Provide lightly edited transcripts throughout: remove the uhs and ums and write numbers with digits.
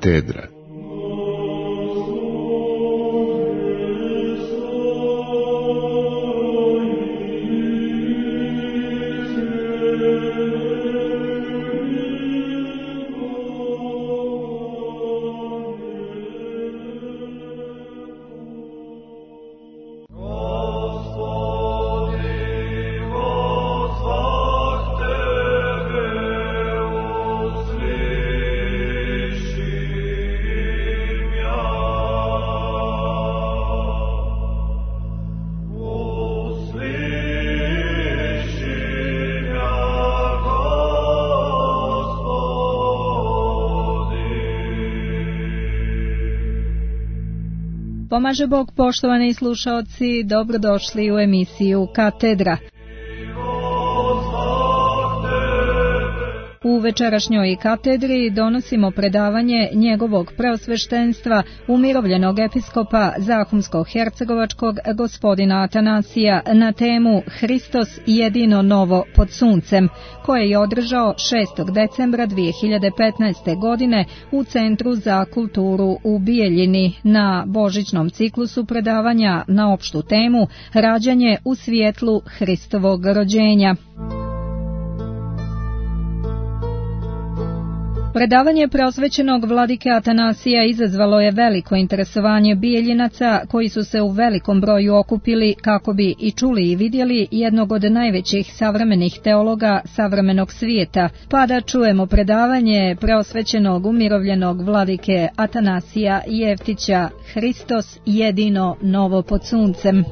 Katedra. Pomaže Bog, poštovani slušaoci, dobrodošli u emisiju Katedra. U večerašnjoj katedri donosimo predavanje njegovog preosveštenstva, umirovljenog episkopa Zahumsko-hercegovačkog gospodina Atanasija na temu Hristos jedino novo pod suncem, koje je održao 6. decembra 2015. godine u Centru za kulturu u Bijeljini na božićnom ciklusu predavanja na opštu temu Rađanje u svjetlu Hristovog rođenja. Predavanje preosvećenog vladike Atanasija izazvalo je veliko interesovanje Bijeljinaca, koji su se u velikom broju okupili kako bi i čuli i vidjeli jednog od najvećih savremenih teologa savremenog svijeta, pa da čujemo predavanje preosvećenog umirovljenog vladike Atanasija Jeftića Hristos jedino novo pod suncem.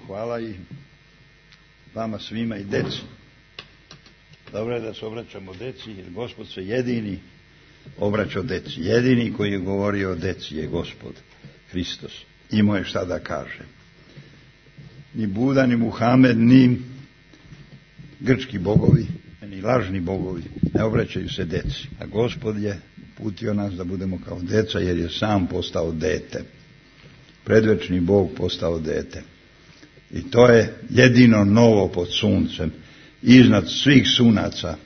Hvala i vama svima i deci. Dobro je da se obraćamo deci, jer Gospod se jedini obraćao deci. Jedini koji je govorio o deci je Gospod Hristos. Imao je šta da kaže. Ni Buda, ni Muhamed, ni grčki bogovi, ni lažni bogovi ne obraćaju se deci. A Gospod je uputio nas da budemo kao deca, jer je sam postao dete. Predvečni Bog postao dete. I to je jedino novo pod suncem, iznad svih sunaca,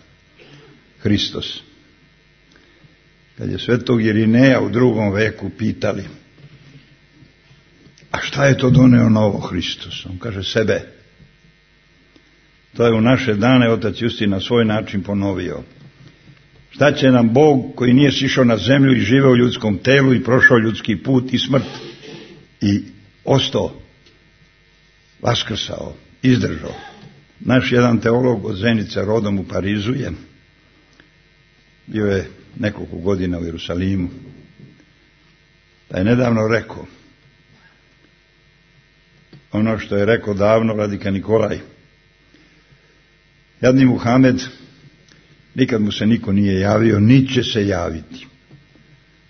Hristos. Kad je svetog Irineja u 2. veku pitali, a šta je to doneo novo Hristos? On kaže sebe. To je u naše dane otac Justin na svoj način ponovio. Šta će nam Bog koji nije sišao na zemlju i živeo u ljudskom telu i prošao ljudski put i smrt i ostao, vaskrsao, izdržao. Naš jedan teolog od Zenice, rodom u Parizu, je bio je nekoliko godina u Jerusalimu, pa je nedavno rekao ono što je rekao davno vladika Nikolaj. Jadni Muhamed, nikad mu se niko nije javio, niti će se javiti.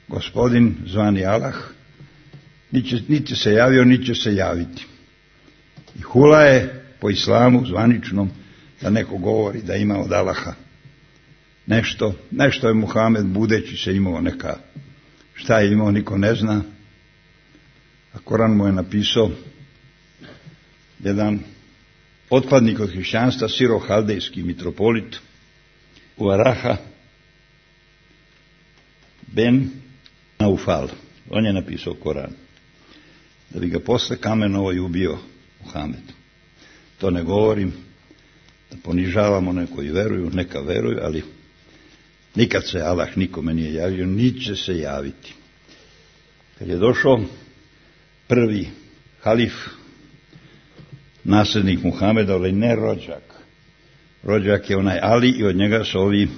Gospodin zvani Allah, niti će se javio, niti će se javiti. I hula je po islamu zvaničnom da neko govori da ima od Allaha nešto je Muhamed budeći se imao neka, šta je imao niko ne zna, a Koran mu je napisao jedan otpadnik od hrišćanstva, Siro-haldejski mitropolit u Araha Ben Naufal. On je napisao Koran da bi ga posle kamenovo i ubio Muhamed. To ne govorim da ponižavamo one koji veruju, neka veruju, ali nikad se Allah nikome nije javio, niti će se javiti. Kad je došao prvi halif, nasljednik Muhameda, ali ne rođak. Rođak je onaj Ali i od njega su ovi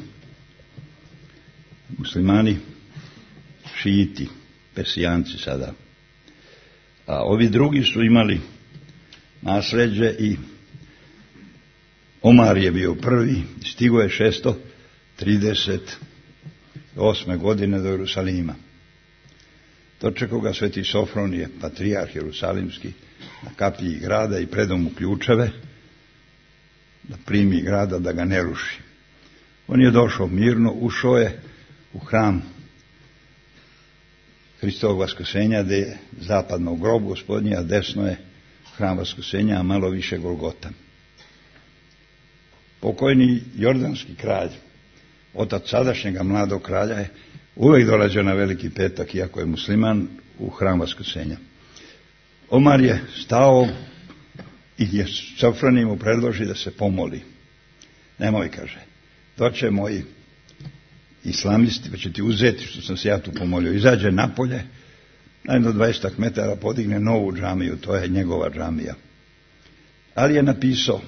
muslimani šijiti, Persijanci sada. A ovi drugi su imali nasljeđe i Omar je bio prvi, stigo je 638. godine do Jerusalima. Dočekao ga sveti Sofronije, patrijarh jerusalimski, na kapiji grada i predao mu ključeve da primi grada, da ga ne ruši. On je došao mirno, ušao je u hram Hristovog vaskrsenja, gdje je zapadno grob Gospodnji, a desno je Hram Vaskrsenja, a malo više Golgota. Pokojni jordanski kralj, otac sadašnjega mladog kralja, je uvijek dolazio na Veliki petak, iako je musliman, u Hram Vaskrsenja. Omar je stao i je Sofroni mu predloži da se pomoli. Nemoj, kaže, doće moji islamisti, pa će ti uzeti što sam se ja tu pomolio. Izađe napolje, najdo 20 metara podigne novu džamiju, to je njegova džamija. Ali je napisao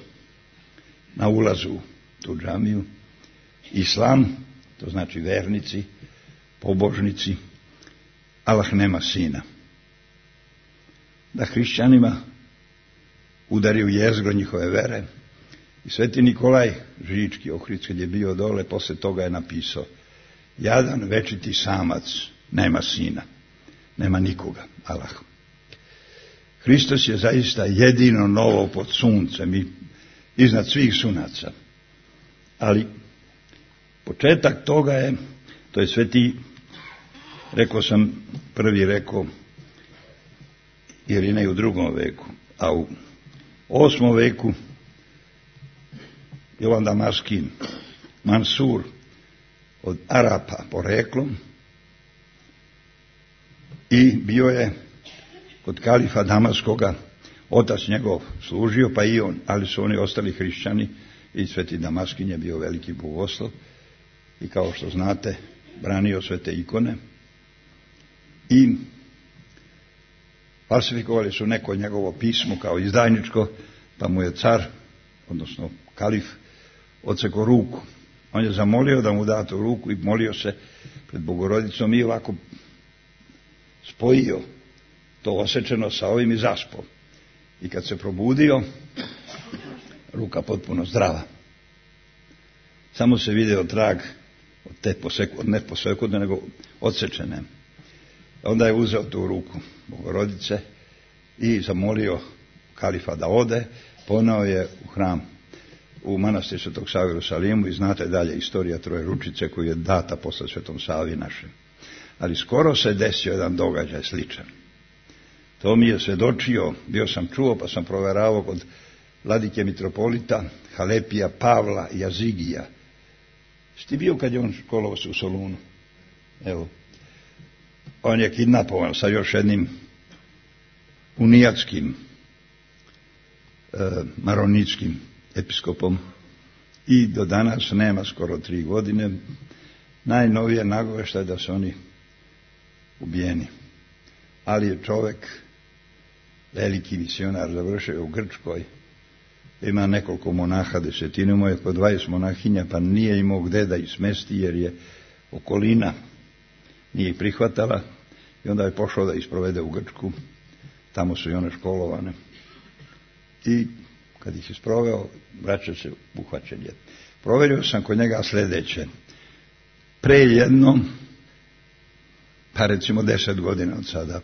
na ulazu u tu džamiju: Islam, to znači vernici, pobožnici, Allah nema sina. Da hrišćanima udari u jezgro njihove vere. I Sveti Nikolaj Žički Ohrid, kad je bio dole, posle toga je napisao: jadan večiti samac, nema sina, nema nikoga, Allah. Hristos je zaista jedino novo pod suncem i iznad svih sunaca. Ali početak toga je, to je Sveti, rekao sam, prvi rekao Irinej u 2. veku, a u 8. veku Jovan Damaskin, Mansur, od Arapa poreklom, i bio je kod kalifa Damaskoga, otac njegov služio, pa i on, ali su oni ostali hrišćani, i Sveti Damaskin je bio veliki bogoslov i, kao što znate, branio sve te ikone i falsifikovali su neko njegovo pismo kao izdajničko, pa mu je car, odnosno kalif, odsekao ruku. On je zamolio da mu da tu ruku i molio se pred Bogorodicom i ovako spojio to osečeno sa ovim i zaspao. I kad se probudio, ruka potpuno zdrava. Samo se video trag od te ne posekudne, nego odsečene. Onda je uzeo tu ruku Bogorodice i zamolio kalifa da ode, poneo je u hram, u manastir Svetog Save u Jerusalimu, i znate dalje istorija Trojeručice koju je data posle Svetom Savi našem. Ali skoro se desio jedan događaj sličan. To mi je svedočio, bio sam čuo, pa sam proveravao kod vladike mitropolita Halepija Pavla Jazigija. Šti bio kad je on školovao se u Solunu? Evo. On je kidnapovan sa još jednim unijatskim maronitskim episkopom i do danas nema skoro 3 godine. Najnovije nagoveštaje da su oni ubijeni. Ali je čovek, veliki misionar, završio u Grčkoj, ima nekoliko monaha, 10, mu je po 20 monahinja, pa nije imao gde da ih smesti, jer je okolina nije ih prihvatala, i onda je pošao da ih sprovede u Grčku. Tamo su i one školovane. I kad ih je sproveo, vraća se uhvaćen je. Proverio sam kod njega sljedeće. Pre jedno, pa recimo 10 godina od sada,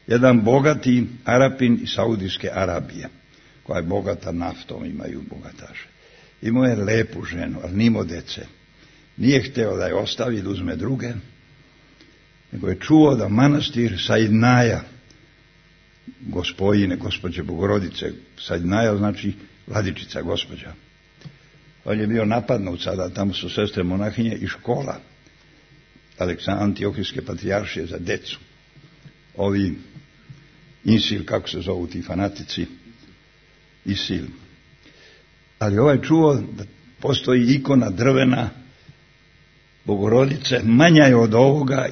jedan bogati Arapin iz Saudijske Arabije, koja je bogata naftom, imaju bogataše. Imao je lepu ženu, ali nimao dece. Nije hteo da je ostavi, da uzme druge, nego je čuo da manastir Saidnaja, gospođe Bogorodice, Saidnaja znači vladičica, gospođa. On je bio napadnut sada, tamo su sestre monahinje i škola Antiohijske patrijaršije za decu. Ovi Insil, kako se zovu ti fanatici, Isil. Ali ovaj čuo da postoji ikona drvena Bogorodice, manja je od ovoga,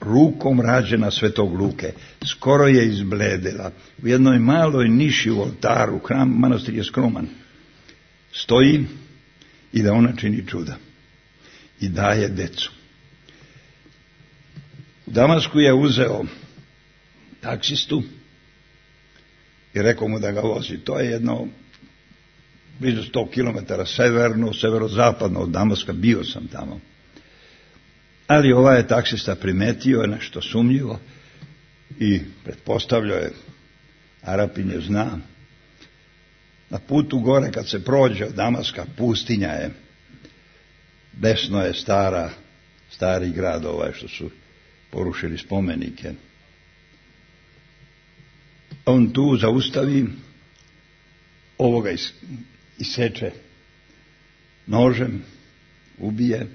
rukom rađena Svetog Luke. Skoro je izbledela. U jednoj maloj niši u oltaru, hram, manastir je skroman, stoji i da ona čini čuda. I daje decu. U Damasku je uzeo taksistu i rekao mu da ga vozi. To je jedno blizu 100 km severozapadno od Damaska, bio sam tamo. Ali ovaj je taksista primetio nešto sumnjivo i pretpostavljao je, Arapin je zna, na putu gore kad se prođe od Damaska, pustinja je, desno je stari grad ovaj što su porušili spomenike. on tu zaustavi, ovoga iseče nožem, ubije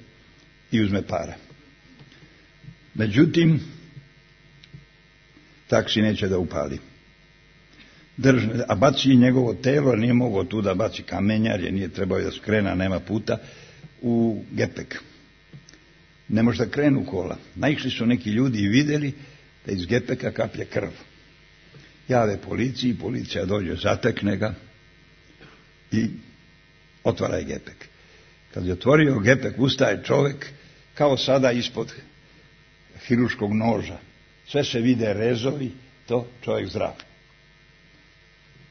i uzme pare. Međutim, taksi neće da upali. A baci njegovo telo, nije mogao tu da baci kamenjar, jer nije trebao da skrena, nema puta, u gepek. Ne može da krenu kola. Naišli su neki ljudi i vidjeli da iz gepeka kaplje krv. Jave policiji, policija dođe, zatekne ga i otvara je gepek. Kad je otvorio gepek, ustaje čovjek kao sada ispod hiruškog noža. Sve se vide rezovi, to čovjek zdrav.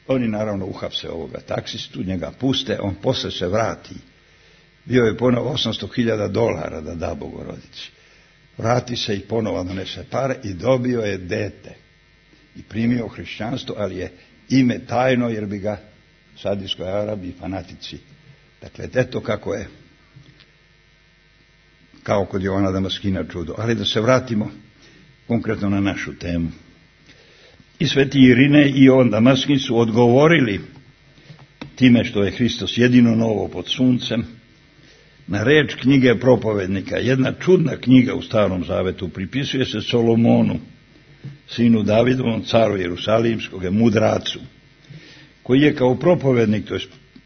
Oni naravno uhapse ovoga taksistu, njega puste, on posle se vrati. Bio je ponovo $800,000 da da Bogorodici. Vrati se i ponovo donese pare i dobio je dete. I primio hrišćanstvo, ali je ime tajno, jer bi ga u Saudijskoj Arabiji fanatici. Dakle, eto kako je, kao kod Jovana Damaskina čudo. Ali da se vratimo konkretno na našu temu. I sveti Irine i Jovan Damaskin su odgovorili time što je Hristos jedino novo pod suncem na reč knjige propovednika. Jedna čudna knjiga u Starom Zavetu pripisuje se Solomonu, sinu Davidovom, caru Jerusalimskog, mudracu, koji je kao propovednik, to je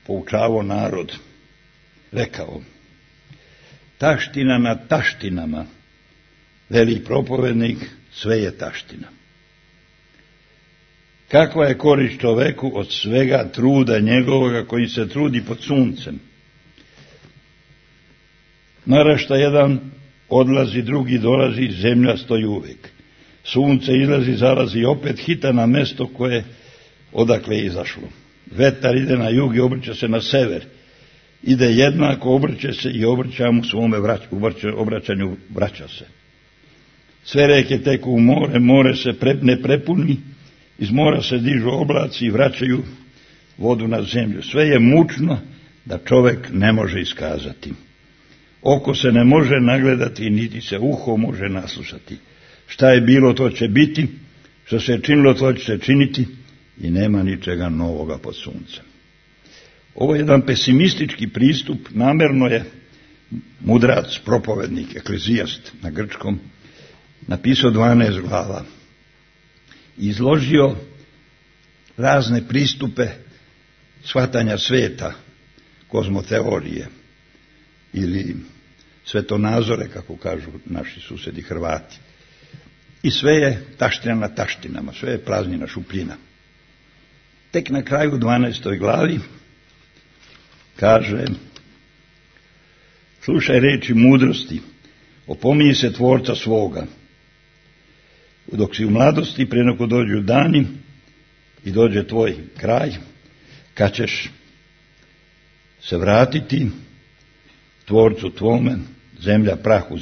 poučavao narod, rekao: taština na taštinama, veli propovednik, sve je taština. Kakva je korist čoveku od svega truda njegovoga koji se trudi pod suncem? Narašta jedan odlazi, drugi dolazi, zemlja stoji uvijek. Sunce izlazi, zalazi i opet hita na mesto koje odakle je izašlo. Vetar ide na jug i obrće se na sever. Ide jednako, obrće se i obrća mu svome obraćanju vraća se. Sve reke teku u more, more se ne prepuni, iz mora se dižu oblaci i vraćaju vodu na zemlju. Sve je mučno da čovjek ne može iskazati. Oko se ne može nagledati, niti se uho može naslušati. Šta je bilo, to će biti, što se je činilo, to će se činiti i nema ničega novoga pod suncem. Ovo je jedan pesimistički pristup, namjerno je mudrac, propovednik, eklezijast na grčkom, napisao 12 glava. Izložio razne pristupe shvatanja sveta, kozmoteorije ili svetonazore, kako kažu naši susedi Hrvati. I sve je taština na taštinama, sve je praznina, šupljina. Tek na kraju 12. glavi kaže: slušaj reči mudrosti, opominji se tvorca svoga. Dok si u mladosti, prije nego dođu dani i dođe tvoj kraj, kad ćeš se vratiti tvorcu tvome, zemlja prahu,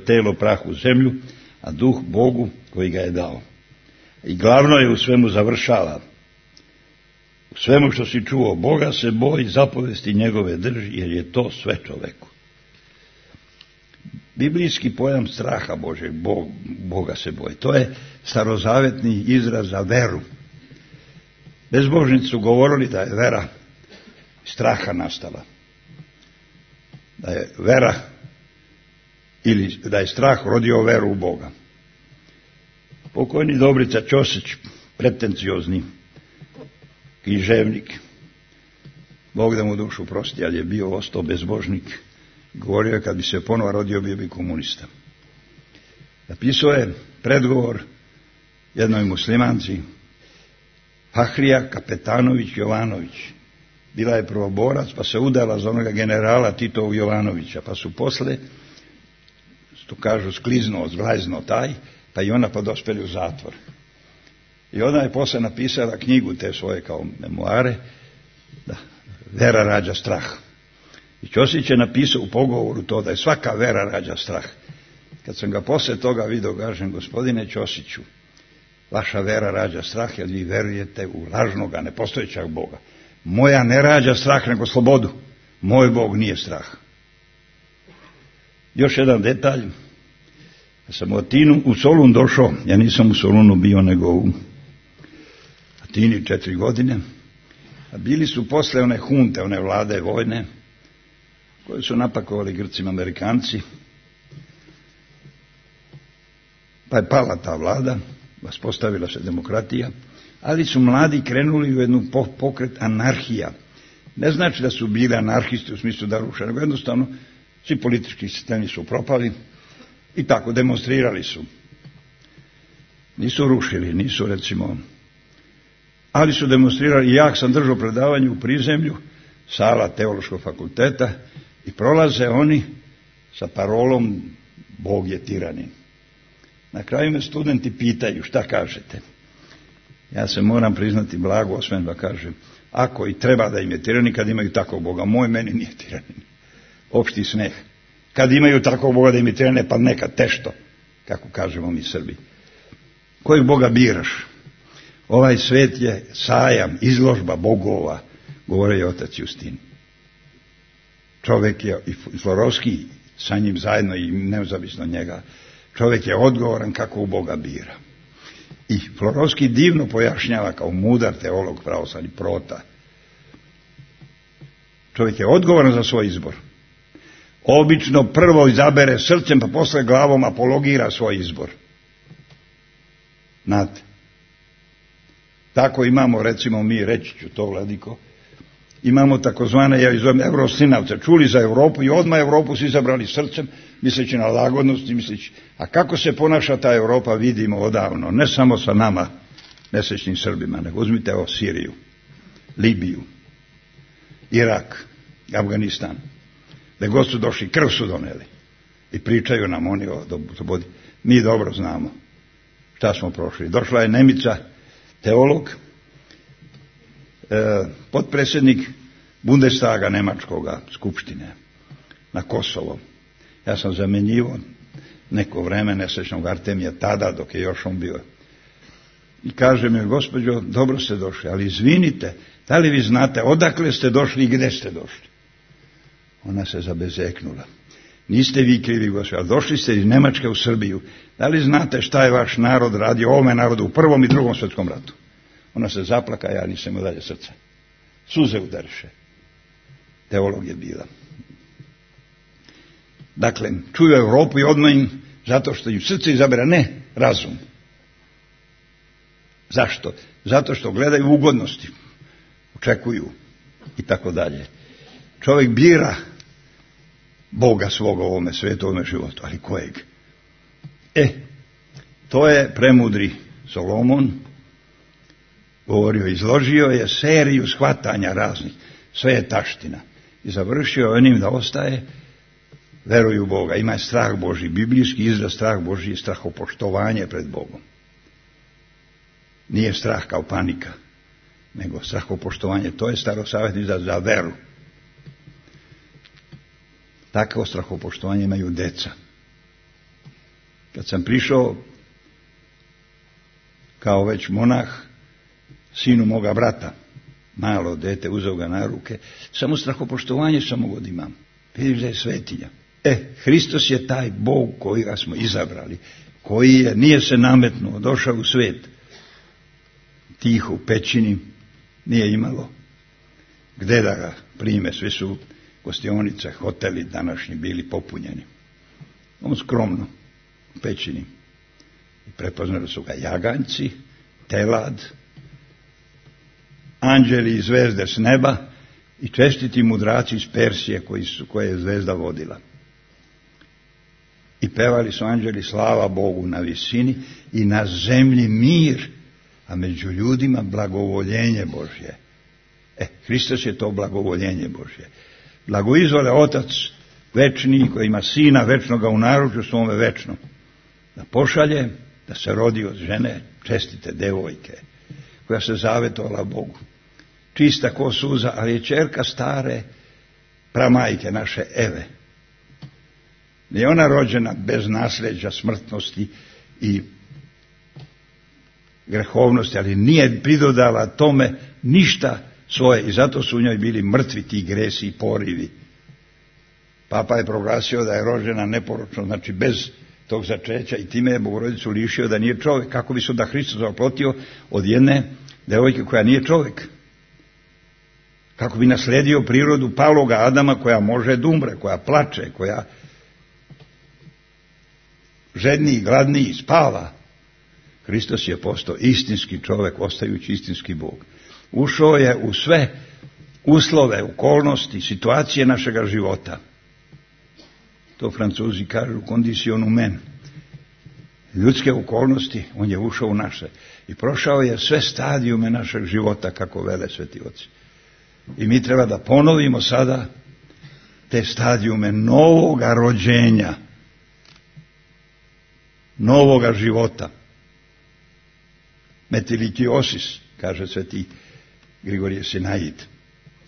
telo prahu zemlju, a duh Bogu koji ga je dao. I glavno je u svemu završava. U svemu što si čuo, Boga se boji, zapovesti njegove drži, jer je to sve čoveku. Biblijski pojam straha Božeg, Boga se boji, to je starozavetni izraz za veru. Bezbožnici su govorili da je vera straha nastala. Da je vera ili da je strah rodio veru u Boga. Pokojni Dobrica Ćosić, pretenciozni književnik, Bog da mu dušu prosti, ali je bio ostao bezbožnik. Govorio je, kad bi se ponovo rodio, bio bi komunista. Napisao je predgovor jednoj muslimanci, Fahrija Kapetanović Jovanović. Bila je prvoborac, pa se udala za onoga generala Titovog Jovanovića, pa su posle, što kažu, skliznuo, zglajznuo taj, pa i ona pa dospeli u zatvor. I ona je posle napisala knjigu te svoje kao memoare, da vera rađa strah. I Ćosić je napisao u pogovoru to da je svaka vera rađa strah. Kad sam ga posle toga vidio, kažem: gospodine Ćosiću, vaša vera rađa strah, jer vi verujete u lažnoga, nepostojećeg Boga. Moja ne rađa strah, nego slobodu. Moj Bog nije strah. Još jedan detalj. Kad sam u Solun došao, ja nisam u Solunu bio, nego u Tini 4 godine, a bili su posle one hunte, one vlade vojne, koje su napakovali Grcima Amerikanci, pa je pala ta vlada, uspostavila se demokratija, ali su mladi krenuli u jednu pokret anarhija. Ne znači da su bili anarhisti u smislu da ruše, nego jednostavno svi politički sistemi su propali i tako demonstrirali su. Nisu rušili, nisu recimo, ali su demonstrirali. Ja sam držao predavanje u prizemlju, sala Teološkog fakulteta, i prolaze oni sa parolom Bog je tiranin. Na kraju me studenti pitaju šta kažete. Ja se moram priznati blago osmem da kažem, ako i treba da im je tiranin kad imaju takvog Boga, moj meni nije tiranin. Opšti smeh. Kad imaju takvog Boga da im je tiranin, pa neka tešto, kako kažemo mi Srbi. Kojeg Boga biraš? Ovaj svet je sajam, izložba bogova, govore je otac Justin. Čovjek je, i Florovski sa njim zajedno i nezavisno od njega, čovjek je odgovoran kako u Boga bira. I Florovski divno pojašnjava kao mudar teolog pravoslavni prota. Čovjek je odgovoran za svoj izbor. Obično prvo izabere srcem, pa posle glavom apologira svoj izbor. Znate. Tako imamo, recimo mi, reći ću to, Vladiko, imamo takozvane, ja izovem, Euroslinavce, čuli za Europu i odmah Europu su izabrali srcem, misleći na lagodnost i misleći, a kako se ponaša ta Europa vidimo odavno, ne samo sa nama, nesrećnim Srbima, nego uzmite o Siriju, Libiju, Irak, Afganistan, da god su došli, krv su doneli i pričaju nam oni o slobodi. Mi dobro znamo šta smo prošli. Došla je Nemica, teolog, potpredsjednik Bundestaga Nemačkoga, skupštine, na Kosovo. Ja sam zamenjivo neko vreme nesrećnog Artemija tada, dok je još on bio. I kaže mi, gospođo, dobro ste došli, ali izvinite, da li vi znate odakle ste došli i gdje ste došli? Ona se zabezeknula. Niste vi krivi, gospođo, ali došli ste iz Nemačke u Srbiju. Da li znate šta je vaš narod radio ovome narodu u Prvom i Drugom svjetskom ratu? Ona se zaplaka, ja nisam imao dalje srca. Suze udariše. Teolog je bila. Dakle, čuju Europu i odmah im, zato što im srce izabira, ne razum. Zašto? Zato što gledaju ugodnosti, očekuju i tako dalje. Čovjek bira Boga svoga u ovome svijetu, u ovome životu, ali kojeg? To je premudri Solomon govorio, izložio je seriju shvatanja raznih, sve je taština. I završio je onim da ostaje, veruju u Boga, ima strah Božji, biblijski izraz strah Božji je strahopoštovanje pred Bogom. Nije strah kao panika, nego strahopoštovanje, to je starosavjetni izraz za veru. Takvo strahopoštovanje imaju deca. Kad sam prišao kao već monah sinu moga brata, malo dete, uzeo ga na ruke, samo strahopoštovanje samo god imam. Vidiš da je svetinja. Hristos je taj Bog kojega smo izabrali, koji je, nije se nametnuo, došao u svijet. Tiho u pećini, nije imalo gdje da ga prime, svi su gostionice, hoteli današnji bili popunjeni. On skromno u pećini. I prepoznali su ga jaganjci, telad, anđeli i zvezde s neba i čestiti mudraci iz Persije koje je zvezda vodila. I pevali su anđeli slava Bogu na visini i na zemlji mir, a među ljudima blagovoljenje Božje. Hristos je to blagovoljenje Božje. Blagoizvole Otac večni koji ima Sina večnoga u naručju svome večnom, da pošalje, da se rodi od žene čestite devojke, koja se zavetovala Bogu. Čista ko suza, ali je ćerka stare pramajke naše Eve. Nije ona rođena bez nasljeđa, smrtnosti i grehovnosti, ali nije pridodala tome ništa svoje i zato su u njoj bili mrtvi ti gresi i porivi. Papa je proglasio da je rođena neporočno, znači bez tog začeća i time je Bogorodicu lišio da nije čovjek. Kako bi se da Hristos oplotio od jedne devojke koja nije čovjek. Kako bi nasledio prirodu paloga Adama koja može da umre, koja plače, koja žedniji, gladniji, spava. Hristos je postao istinski čovjek, ostajući istinski Bog. Ušao je u sve uslove, okolnosti, situacije našega života. To Francuzi kažu condition humaine. Ljudske okolnosti, on je ušao u naše. I prošao je sve stadijume našeg života, kako vele sveti oci. I mi treba da ponovimo sada te stadijume novoga rođenja, novoga života. Metilikiosis, kaže sveti Grigorije Sinaid.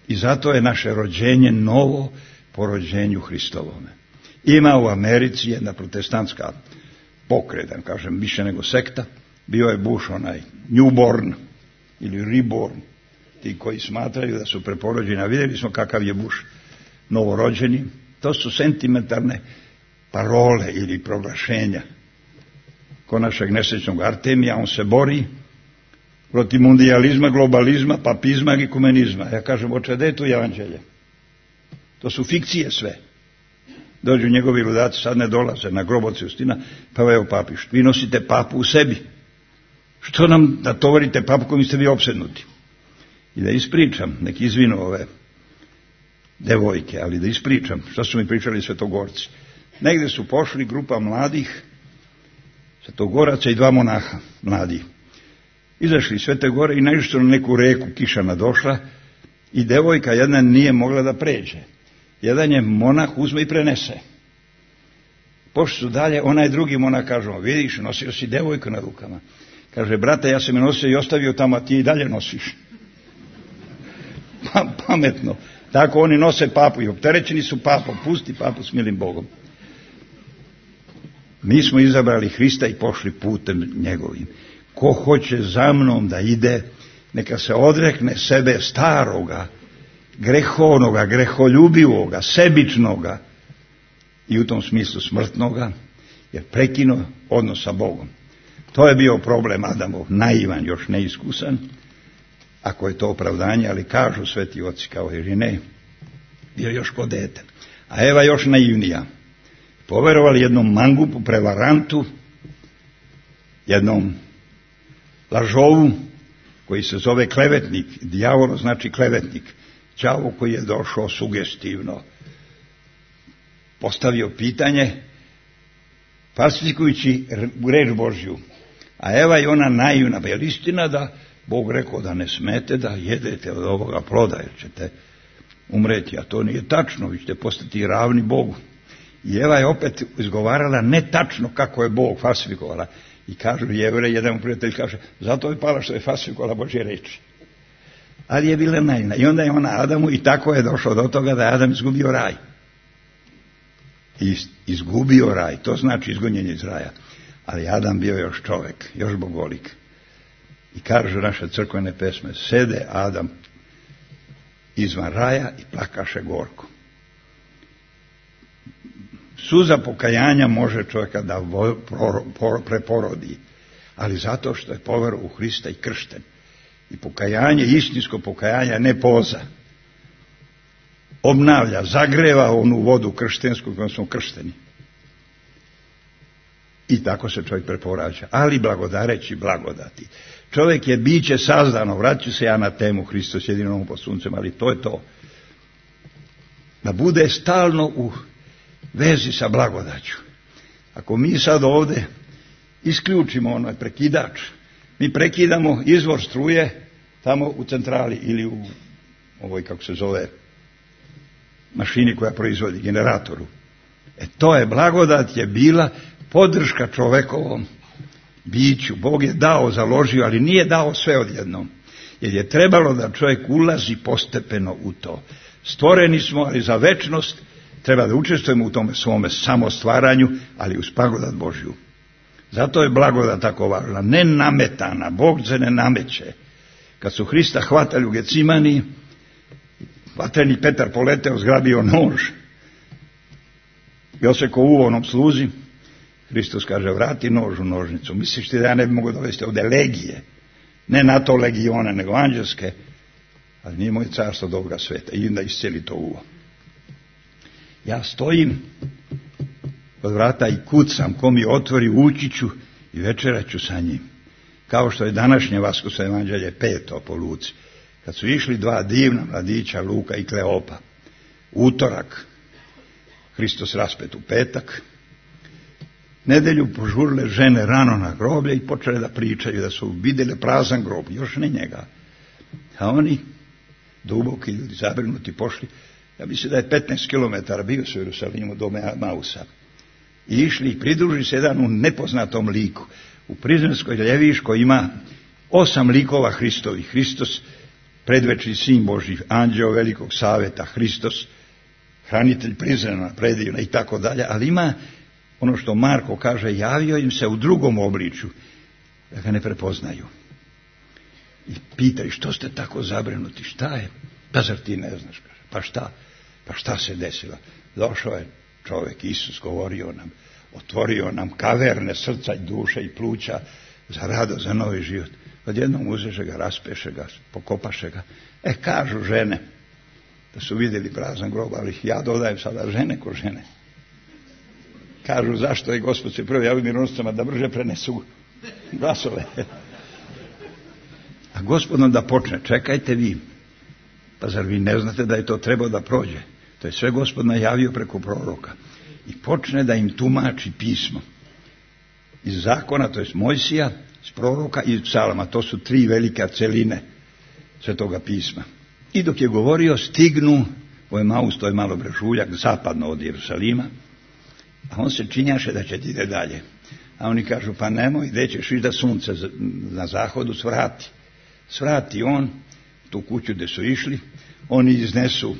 I zato je naše rođenje novo po rođenju Hristovome. Ima u Americi jedna protestantska pokretan, kažem, više nego sekta, bio je Bush onaj newborn ili reborn, ti koji smatraju da su preporođeni, a vidjeli smo kakav je Bush novorođeni. To su sentimentalne parole ili proglašenja. Ko našeg nesrećnog Artemija, on se bori protiv mundializma, globalizma, papizma i ekumenizma. Ja kažem, oče, gde je tu evanđelje? To su fikcije sve. Dođu njegovi ludaci, sad ne dolaze na groboci Justina, pa evo papiš, vi nosite papu u sebi. Što nam da tovarite papu kojim ste vi opsednuti? I da ispričam, nek izvinu ove devojke, ali da ispričam, što su mi pričali svetogorci. Negde su pošli grupa mladih svetogoraca i 2 monaha mladih. Izašli iz Svete Gore i naišli na neku reku, kiša nadošla i devojka jedna nije mogla da pređe. Jedan je monah uzme i prenese. Pošli su dalje, onaj drugi monah kaže, vidiš, nosio si devojku na rukama. Kaže, brate, ja sam je nosio i ostavio tamo, a ti i dalje nosiš. Pametno. Tako oni nose papu i opterećeni su papom. Pusti papu s milim Bogom. Mi smo izabrali Hrista i pošli putem njegovim. Ko hoće za mnom da ide, neka se odrekne sebe staroga, grehovnoga, greholjubivoga, sebičnoga i u tom smislu smrtnoga, jer prekinuo odnos sa Bogom. To je bio problem Adamov, naivan, još neiskusan, ako je to opravdanje, ali kažu sveti oci kao Irine, bio još ko dete. A Eva još naivnija. Poverovali jednom mangupu, prevarantu, jednom lažovu, koji se zove klevetnik. Dijavolo znači klevetnik. Đavo koji je došao sugestivno, postavio pitanje, falsifikujući reč Božju. A Eva je ona naivna, je li istina da Bog rekao da ne smete da jedete od ovoga ploda, jer ćete umreti, a to nije tačno, vi ćete postati ravni Bogu. I Eva je opet izgovarala netačno kako je Bog falsifikovala. I kažu Jevrej, jedan prijatelj kaže, zato je pala što je falsifikovala Božje reči. Ali je bila naivna. I onda je ona Adamu i tako je došlo do toga da je Adam izgubio raj. I izgubio raj, to znači izgonjenje iz raja. Ali Adam bio još čovjek, još bogolik. I kažu naše crkvene pesme, sede Adam izvan raja i plakaše gorko. Suza pokajanja može čovjeka da preporodi, ali zato što je poverovao u Hrista i kršten. I pokajanje, istinsko pokajanje, ne poza. Obnavlja, zagreva onu vodu krštensku kojom smo kršteni. I tako se čovjek preporađa, ali blagodareći blagodati. Čovjek je biće sazdano, vraću se ja na temu Hristos jedino pod suncem, ali to je to. Da bude stalno u vezi sa blagodaću. Ako mi sad ovdje isključimo onaj prekidač, mi prekidamo izvor struje tamo u centrali ili u ovoj, kako se zove, mašini koja proizvodi, generatoru. To je blagodat, je bila podrška čovekovom biću. Bog je dao, založio, ali nije dao sve odjednom. Jer je trebalo da čovjek ulazi postepeno u to. Stvoreni smo, ali za večnost treba da učestvujemo u tome svome samostvaranju, ali uz blagodat Božju. Zato je blagodat tako važna, ne nametana, Bog se ne nameće. Kad su Hrista hvatali u Gecimani, vatreni Petar poleteo, zgrabio nož i osekao uvo onom sluzi. Hristos kaže, vrati nož u nožnicu. Misliš ti da ja ne bi mogao dovesti ovdje legije Ne NATO legione, nego anđelske, ali nije moj carstvo dobroga sveta. I onda iscijeli to uvo. Ja stojim od vrata i kucam, ko mi otvori, ući ću i večerat ću sa njim. Kao što je današnje Vaskršnje evanđelje 5. po Luci. Kad su išli dva divna mladića, Luka i Kleopa, utorak, Hristos raspet u petak, nedelju požurile žene rano na groblje i počele da pričaju da su vidjeli prazan grob, još ne njega. A oni, duboki ljudi, zabrinuti, pošli, ja mislim da je 15 km bio su u Jerusalimu do Mausa. I išli i pridruži se jedan u nepoznatom liku. U Prizrenskoj Ljeviškoj ima 8 likova Hristovih. Hristos, predvečni sin Božji, anđeo velikog saveta, Hristos, hranitelj Prizrena, predivna i tako dalje, ali ima ono što Marko kaže, javio im se u drugom obličju, da ga ne prepoznaju. I pitaju, što ste tako zabrinuti, šta je? Pa zar ti ne znaš, kaže, pa šta se desilo? Došao je čovjek, Isus, govorio nam, otvorio nam kaverne srca i duše i pluća za radost, za novi život. Odjednom uzeše ga, raspeše ga, pokopaše ga. Kažu žene da su vidjeli prazan grob, ali ja dodajem sada žene ko žene. Kažu, zašto je Gospod se prvo javio mironoscama da brže prenesu glasove. A Gospod da počne, čekajte vi. Pa zar vi ne znate da je to trebao da prođe? To je sve Gospod najavio preko proroka. I počne da im tumači pismo. Iz zakona, to je Mojsija, iz proroka i iz psalama. To su 3 velike celine Svetoga pisma. I dok je govorio, stignu, ovo je Maus, to je malo brežuljak, zapadno od Jerusalima, a on se činjaše da će ti ide dalje. A oni kažu, pa nemoj, gdje ćeš ići da sunce na zahodu svrati. Svrati on tu kuću gdje su išli, oni iznesu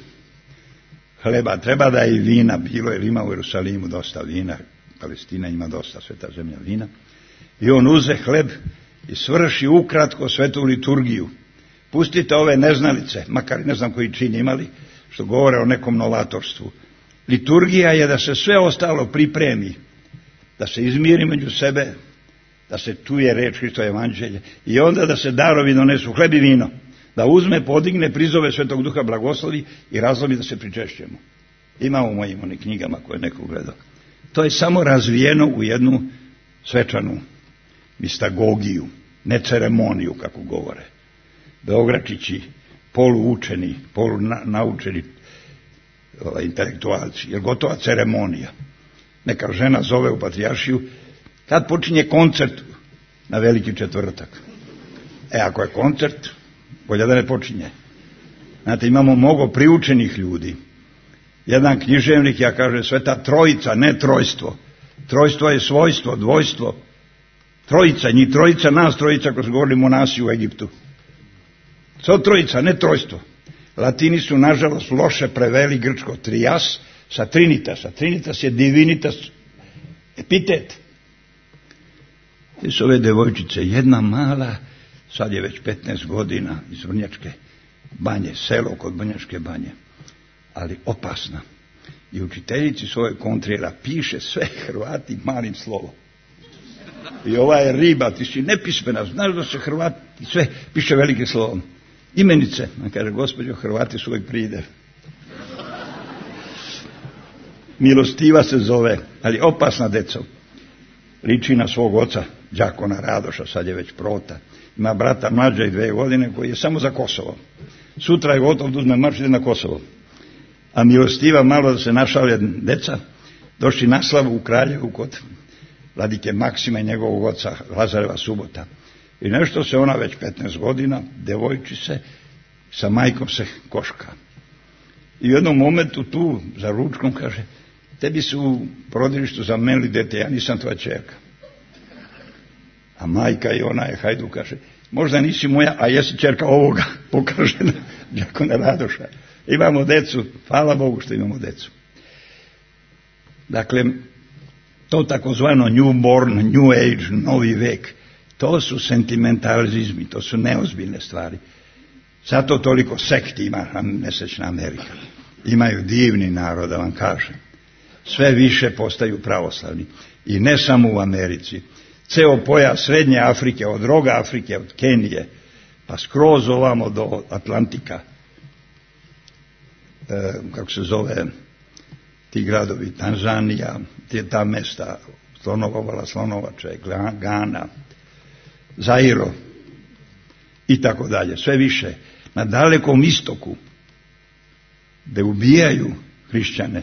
hleba, treba da je i vina bilo, jer ima u Jerusalimu dosta vina, Palestina ima dosta, sveta zemlja vina. I on uze hleb i svrši ukratko svetu liturgiju. Pustite ove neznalice, makar ne znam koji čin imali, što govore o nekom novatorstvu. Liturgija je da se sve ostalo pripremi, da se izmiri među sebe, da se čuje reč Hristova evanđelje i onda da se darovi donesu, hleb i vino, da uzme, podigne, prizove Svetog Duha, blagoslovi i razlomi da se pričešćemo. Ima u mojim onim knjigama koje neko gledao. To je samo razvijeno u jednu svečanu mistagogiju, ne ceremoniju kako govore. Beogračići, poluučeni, polunaučeni intelektualci, jer gotova ceremonija. Neka žena zove u patrijaršiju, kad počinje koncert na Veliki četvrtak. Ako je koncert, bolje da ne počinje. Znate, imamo mnogo priučenih ljudi. Jedan književnik, ja kaže, Sveta Trojica, ne trojstvo. Trojstvo je svojstvo, dvojstvo. Trojica, njih trojica, nas trojica, ko su govorili monasi u Egiptu. Svo trojica, ne trojstvo. Latini su, nažalost, loše preveli grčko trias sa trinitas. A trinitas je divinitas, epitet. Te su ove devojčice, jedna mala, sad je već 15 godina, iz Vrnjačke banje, selo kod Vrnjačke banje, ali opasna. I učiteljici svoje kontrira piše sve Hrvati malim slovom. I ova je riba, ti si nepismena, znaš da se Hrvati sve piše velikim slovom. Imenice, on kaže, gospođo, Hrvati su uvijek prider. Milostiva se zove, ali opasna deco. Liči na svog oca, đakona Radoša, sad je već prota. Ima brata mlađa i 2 godine koji je samo za Kosovo. Sutra je gotov da uzme marš ide na Kosovo. A milostiva, malo da se našalje deca, došli na slavu u Kraljevu kod vladike Maksima i njegovog oca Lazareva subota. I nešto se ona već 15 godina, devojčice, sa majkom se koška. I u jednom momentu tu, za ručkom, kaže, tebi su u porodilištu zamenili dete, ja nisam tvoja ćerka. A majka i ona je hajdu, kaže, možda nisi moja, a jesi ćerka ovoga, pokaže na đakona Radoša. Imamo decu, hvala Bogu što imamo decu. Dakle, to takozvano newborn, new age, novi vek, to su sentimentalizmi, to su neozbiljne stvari. Zato toliko sekti ima nesečna Amerika. Imaju divni narod, da vam kažem. Sve više postaju pravoslavni. I ne samo u Americi. ceo pojas Srednje Afrike, od roga Afrike, od Kenije, pa skroz ovamo do Atlantika, kako se zove, ti gradovi, Tanzanija, ta mesta, Slonovovala, Slonovače, Gana, Zairo i tako dalje, sve više. Na Dalekom istoku, gde ubijaju hrišćane,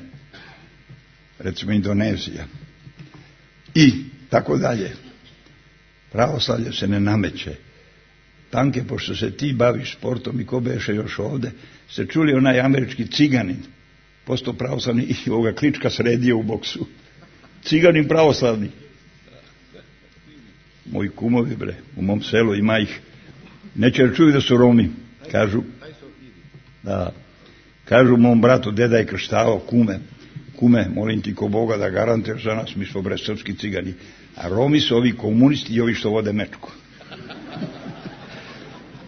recimo Indonezija, i tako dalje. Pravoslavlje se ne nameće. Tanke, pošto se ti baviš sportom i ko beše još ovde, ste čuli onaj američki ciganin, postao pravoslavni i ovoga Klička sredio u boksu. Ciganin pravoslavni. Moji kumovi, bre, u mom selu ima ih. Neće da čuju da su Romi. Kažu mom bratu, deda je krštavao, kume, molim ti ko Boga da garantuješ za nas, mi smo bre srpski cigani. A Romi su ovi komunisti i ovi što vode mečku.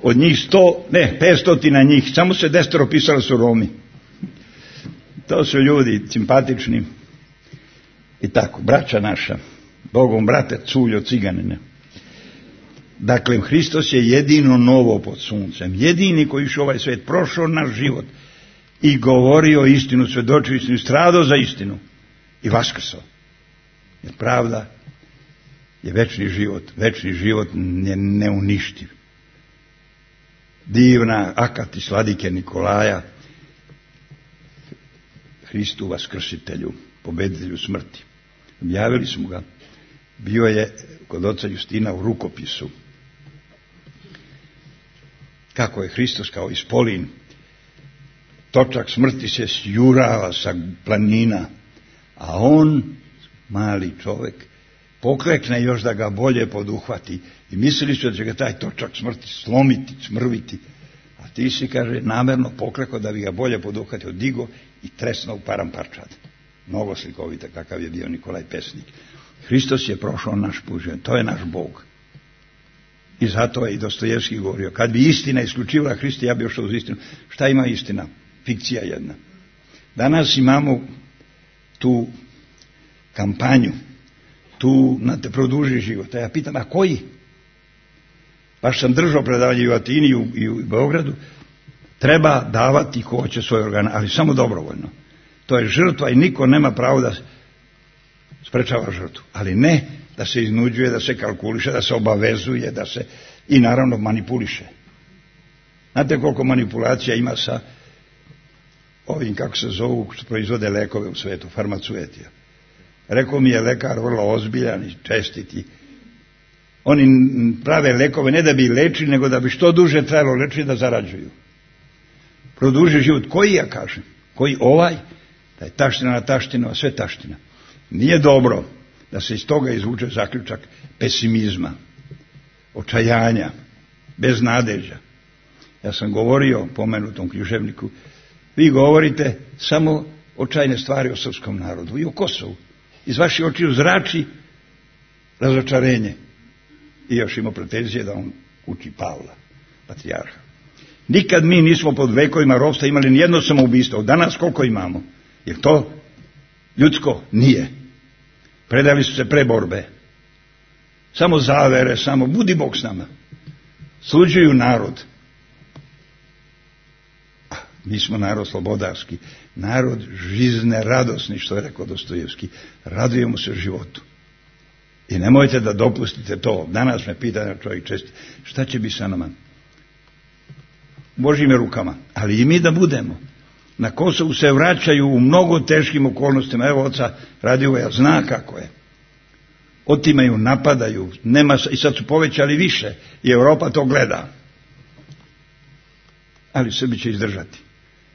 Od njih 500 njih, samo se 10 pisali su Romi. To su ljudi simpatični. I tako, braća naša, Bogom brate, culjo ciganine. Dakle, Hristos je jedino novo pod suncem, jedini koji je ovaj svet, prošao naš život i govorio istinu, svedočio istinu, stradao za istinu i vaskrsao. Jer pravda je večni život je neuništiv. Divna akati sladike Nikolaja, Hristu vaskrsitelju, pobeditelju smrti. Objavili smo ga, bio je kod oca Justina u rukopisu. Kako je Hristos kao ispolin, točak smrti se sjurava sa planina, a on, mali čovek, poklekne još da ga bolje poduhvati i mislili su da će ga taj točak smrti slomiti, smrviti, a ti si, kaže, namerno poklekao da bi ga bolje poduhvatio, digo i tresno u paramparčad. Mnogo slikovite kakav je bio Nikolaj Pesnik. Hristos je prošao naš put, to je naš Bog. I zato je i Dostojevski govorio, kad bi istina isključivala Hrista, ja bi ošao uz istinu. Šta ima istina? Fikcija jedna. Danas imamo tu kampanju, tu na te produži život. A ja pitam, a koji? Baš sam držao predavanje i u Atini i u Beogradu. Treba davati ko hoće svoje organe, ali samo dobrovoljno. To je žrtva i niko nema pravo da sprečava žrtvu. Ali ne da se iznuđuje, da se kalkuliše, da se obavezuje, da se i naravno manipuliše. Znate koliko manipulacija ima sa ovim, kako se zovu, što proizvode lekove u svetu, farmacuetija. Rekao mi je lekar vrlo ozbiljan i čestiti. Oni prave lekove ne da bi lečili, nego da bi što duže trajalo lečiti da zarađuju. Produži život. Koji, ja kažem? Koji ovaj? Da je taština na taštinu, a sve taština. Nije dobro da se iz toga izvuče zaključak pesimizma, očajanja, beznadeđa. Ja sam govorio pomenutom književniku, vi govorite samo očajne stvari o srpskom narodu i o Kosovu. Iz vaših očiju zrači razočarenje. I još ima pretenzije da on uči Pavla, patrijarha. Nikad mi nismo pod vekovima ropstva imali nijedno samoubistvo. Danas koliko imamo? Jer to ljudsko nije. Predali su se pre borbe. Samo zavere, samo budi Bog s nama. Sluđuju narod. Mi smo narod slobodarski, narod žizne, radosni, što je rekao Dostojevski. Radujemo se životu. I nemojte da dopustite to. Danas me pita čovjek često, šta će biti sa nama? Božjim rukama. Ali i mi da budemo. Na Kosovu se vraćaju u mnogo teškim okolnostima. Evo oca Radivoja zna kako je. Otimaju, napadaju. I sad su povećali više. I Europa to gleda. Ali Srbi će izdržati.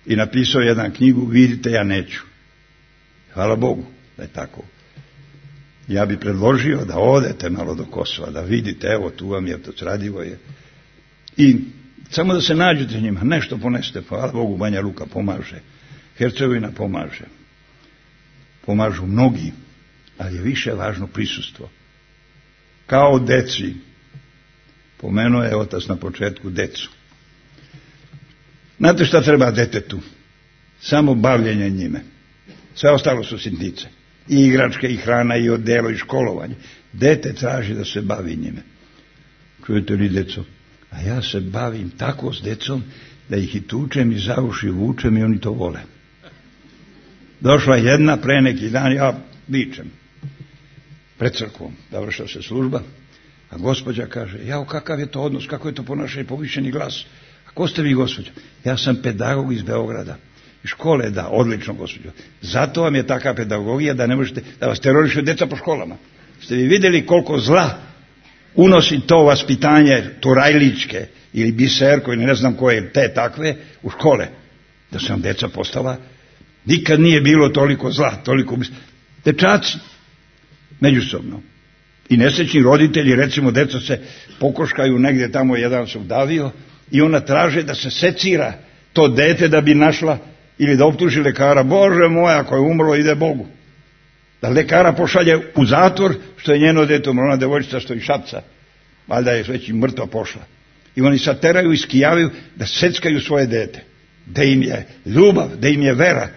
I napisao jedan knjigu, vidite, ja neću. Hvala Bogu da je tako. Ja bi predložio da odete malo do Kosova, da vidite, evo tu vam je otac Radivoje. I samo da se nađete njima, nešto poneste, hvala Bogu, Banja Luka pomaže, Hercegovina pomaže. Pomažu mnogi, ali je više važno prisustvo. Kao deci, pomenuo je otac na početku decu. Znate šta treba detetu? Samo bavljenje njime. Sve ostalo su sitnice. i igračke, i hrana, i odelo, i školovanje. Dete traži da se bavi njime. Čujete li, deco? A ja se bavim tako s decom da ih i tučem i za uši vučem i oni to vole. Došla jedna pre neki dan, ja vičem pred crkvom, završila se služba, a gospođa kaže, jao, kakav je to odnos, kako je to ponašanje, povišeni glas. A ko ste vi, gospođa? Ja sam pedagog iz Beograda. Iz škole, da, odlično, gospođo. Zato vam je takva pedagogija da ne možete, da vas terorišu deca po školama. Ste vi vidjeli koliko zla unosi to vaspitanje turajličke ili biserko ili ne znam koje, te takve, u škole. Da su nam deca postala, nikad nije bilo toliko zla, toliko dečaci međusobno. I nesrećni roditelji, recimo, deca se pokoškaju negdje tamo, jedan se udavio i ona traže da se secira to dete da bi našla ili da optuži lekara, Bože moj, ako je umrlo, ide Bogu. Da lekara pošalje u zatvor što je njeno dete umrlo, ona devojčica što i šapca, valjda je već i mrtva pošla. I oni sad teraju i skijavaju da seckaju svoje dete. Da im je ljubav, da im je vera.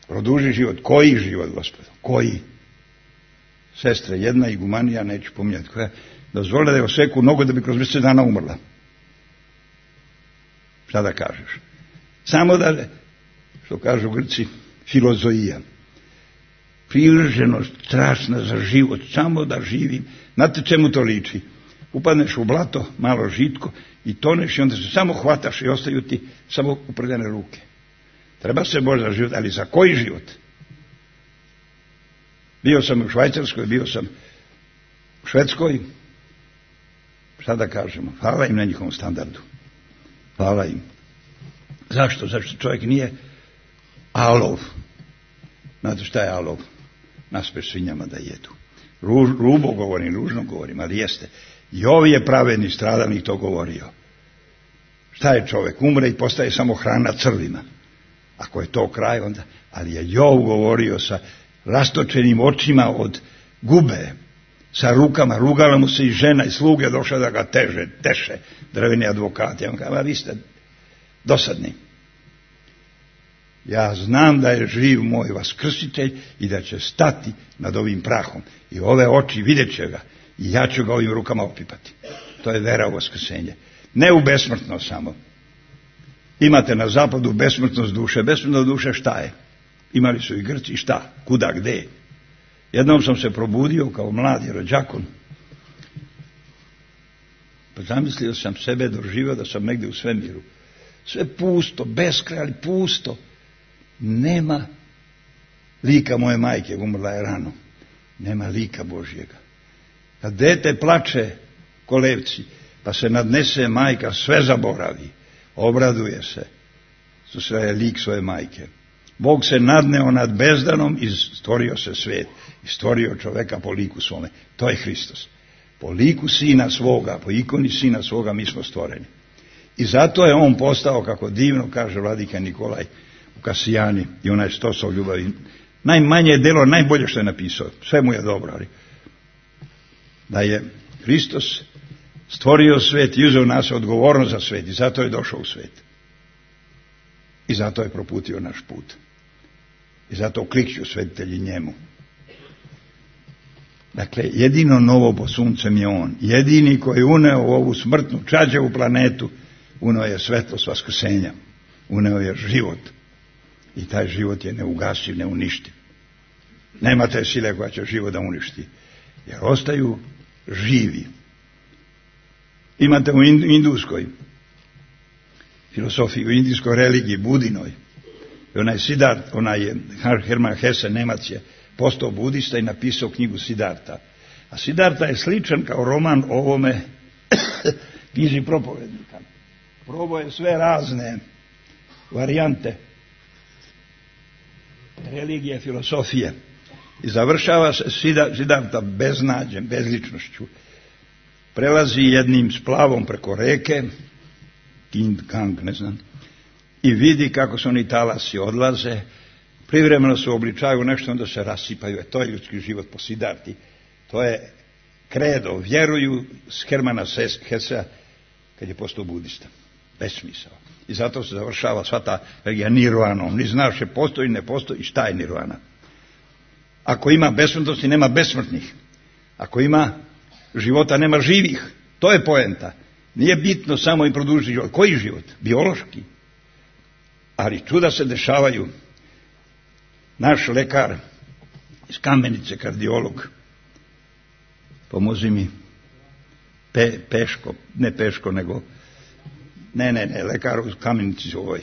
Produži život. Koji život, gospodo? Koji? Sestre, jedna igumanija, neću pominjati koja, dozvolila da je oseku nogu da bi kroz mjesec dana umrla. Šta da kažeš? Samo da, što kažu Grci, filozoija. Privrženost strašna za život, samo da živim. Znate čemu to liči? Upadneš u blato, malo žitko i toneš i onda se samo hvataš i ostaju ti samo upredene ruke. Treba se Bože za život, ali za koji život? Bio sam u Švajcarskoj, bio sam u Švedskoj. Šta da kažemo? Hvala im na njihovom standardu. Hvala im. Zašto? Zašto čovjek nije alov. Znate šta je alov? Naspeš svinjama da jedu. Rubo govorim, ružno govorim, ali jeste. Jov je pravedni stradalnik to govorio. Šta je čovjek? Umre i postaje samo hrana crvima. Ako je to kraj, onda... Ali je Jov govorio sa rastočenim očima od gube, sa rukama, rugala mu se i žena i sluge, došla da ga teše, drveni advokati. On kaže, vi ste dosadni. Ja znam da je živ moj vaskrsitelj i da će stati nad ovim prahom. I ove oči vidjet će ga i ja ću ga ovim rukama opipati. To je vera u vaskrsenje. Ne u besmrtnost samo. Imate na zapadu besmrtnost duše. Besmrtnost duše šta je? Imali su i Grci, šta? Kuda, gde? Jednom sam se probudio kao mladi rođakon. Pa zamislio sam sebe, doživio da sam negdje u svemiru. Sve pusto, beskraj, ali pusto. Nema lika moje majke, umrla je rano. Nema lika Božjega. Kad dete plače kolevci, pa se nadnese majka, sve zaboravi. Obraduje se. Sve je lik svoje majke. Bog se nadneo nad bezdanom i stvorio se svijet. I stvorio čoveka po liku svome. To je Hristos. Po liku sina svoga, po ikoni sina svoga mi smo stvoreni. I zato je on postao, kako divno kaže vladika Nikolaj u Kasijani i onaj Stosov ljubavi. Najmanje delo, najbolje što je napisao. Sve mu je dobro, ali da je Hristos stvorio svijet i uzeo nas odgovornost za svijet i zato je došao u svijet. I zato je proputio naš put. I zato klikću svetitelji njemu. Dakle, jedino novo pod suncem je on. Jedini koji je uneo u ovu smrtnu čađavu planetu, uneo je svetlost vaskrsenja. Uneo je život. I taj život je neugasiv, neuništiv. Nema te sile koja će život da uništi. Jer ostaju živi. Imate u indijskoj filosofiji, u indijskoj religiji, Budinoj. I onaj Hermann Hesse, Nemac, je postao budista i napisao knjigu Siddharta. A Siddharta je sličan kao roman ovome knjizi propovednika. Probao je sve razne varijante religije, filosofije. I završava se Siddharta beznađem, bezličnošću. Prelazi jednim splavom preko reke, Kang, ne znam, i vidi kako su oni talasi odlaze, privremeno se obličaju nešto, onda se rasipaju. To je ljudski život po Siddharti. To je kredo, vjeruju s Hermana Hessea kad je postao budista. Besmisao. I zato se završava sva ta regija nirvanom. Ni znaš je postoji, ne postoji, šta je nirvana. Ako ima besmrtnosti, nema besmrtnih. Ako ima života, nema živih. To je poenta. Nije bitno samo i produžiti život. Koji život? Biološki. Ali čuda se dešavaju. Naš lekar iz Kamenice, kardiolog, pomozi mi, Peško, ne Peško, nego, ne, lekar u Kamenici ovoj,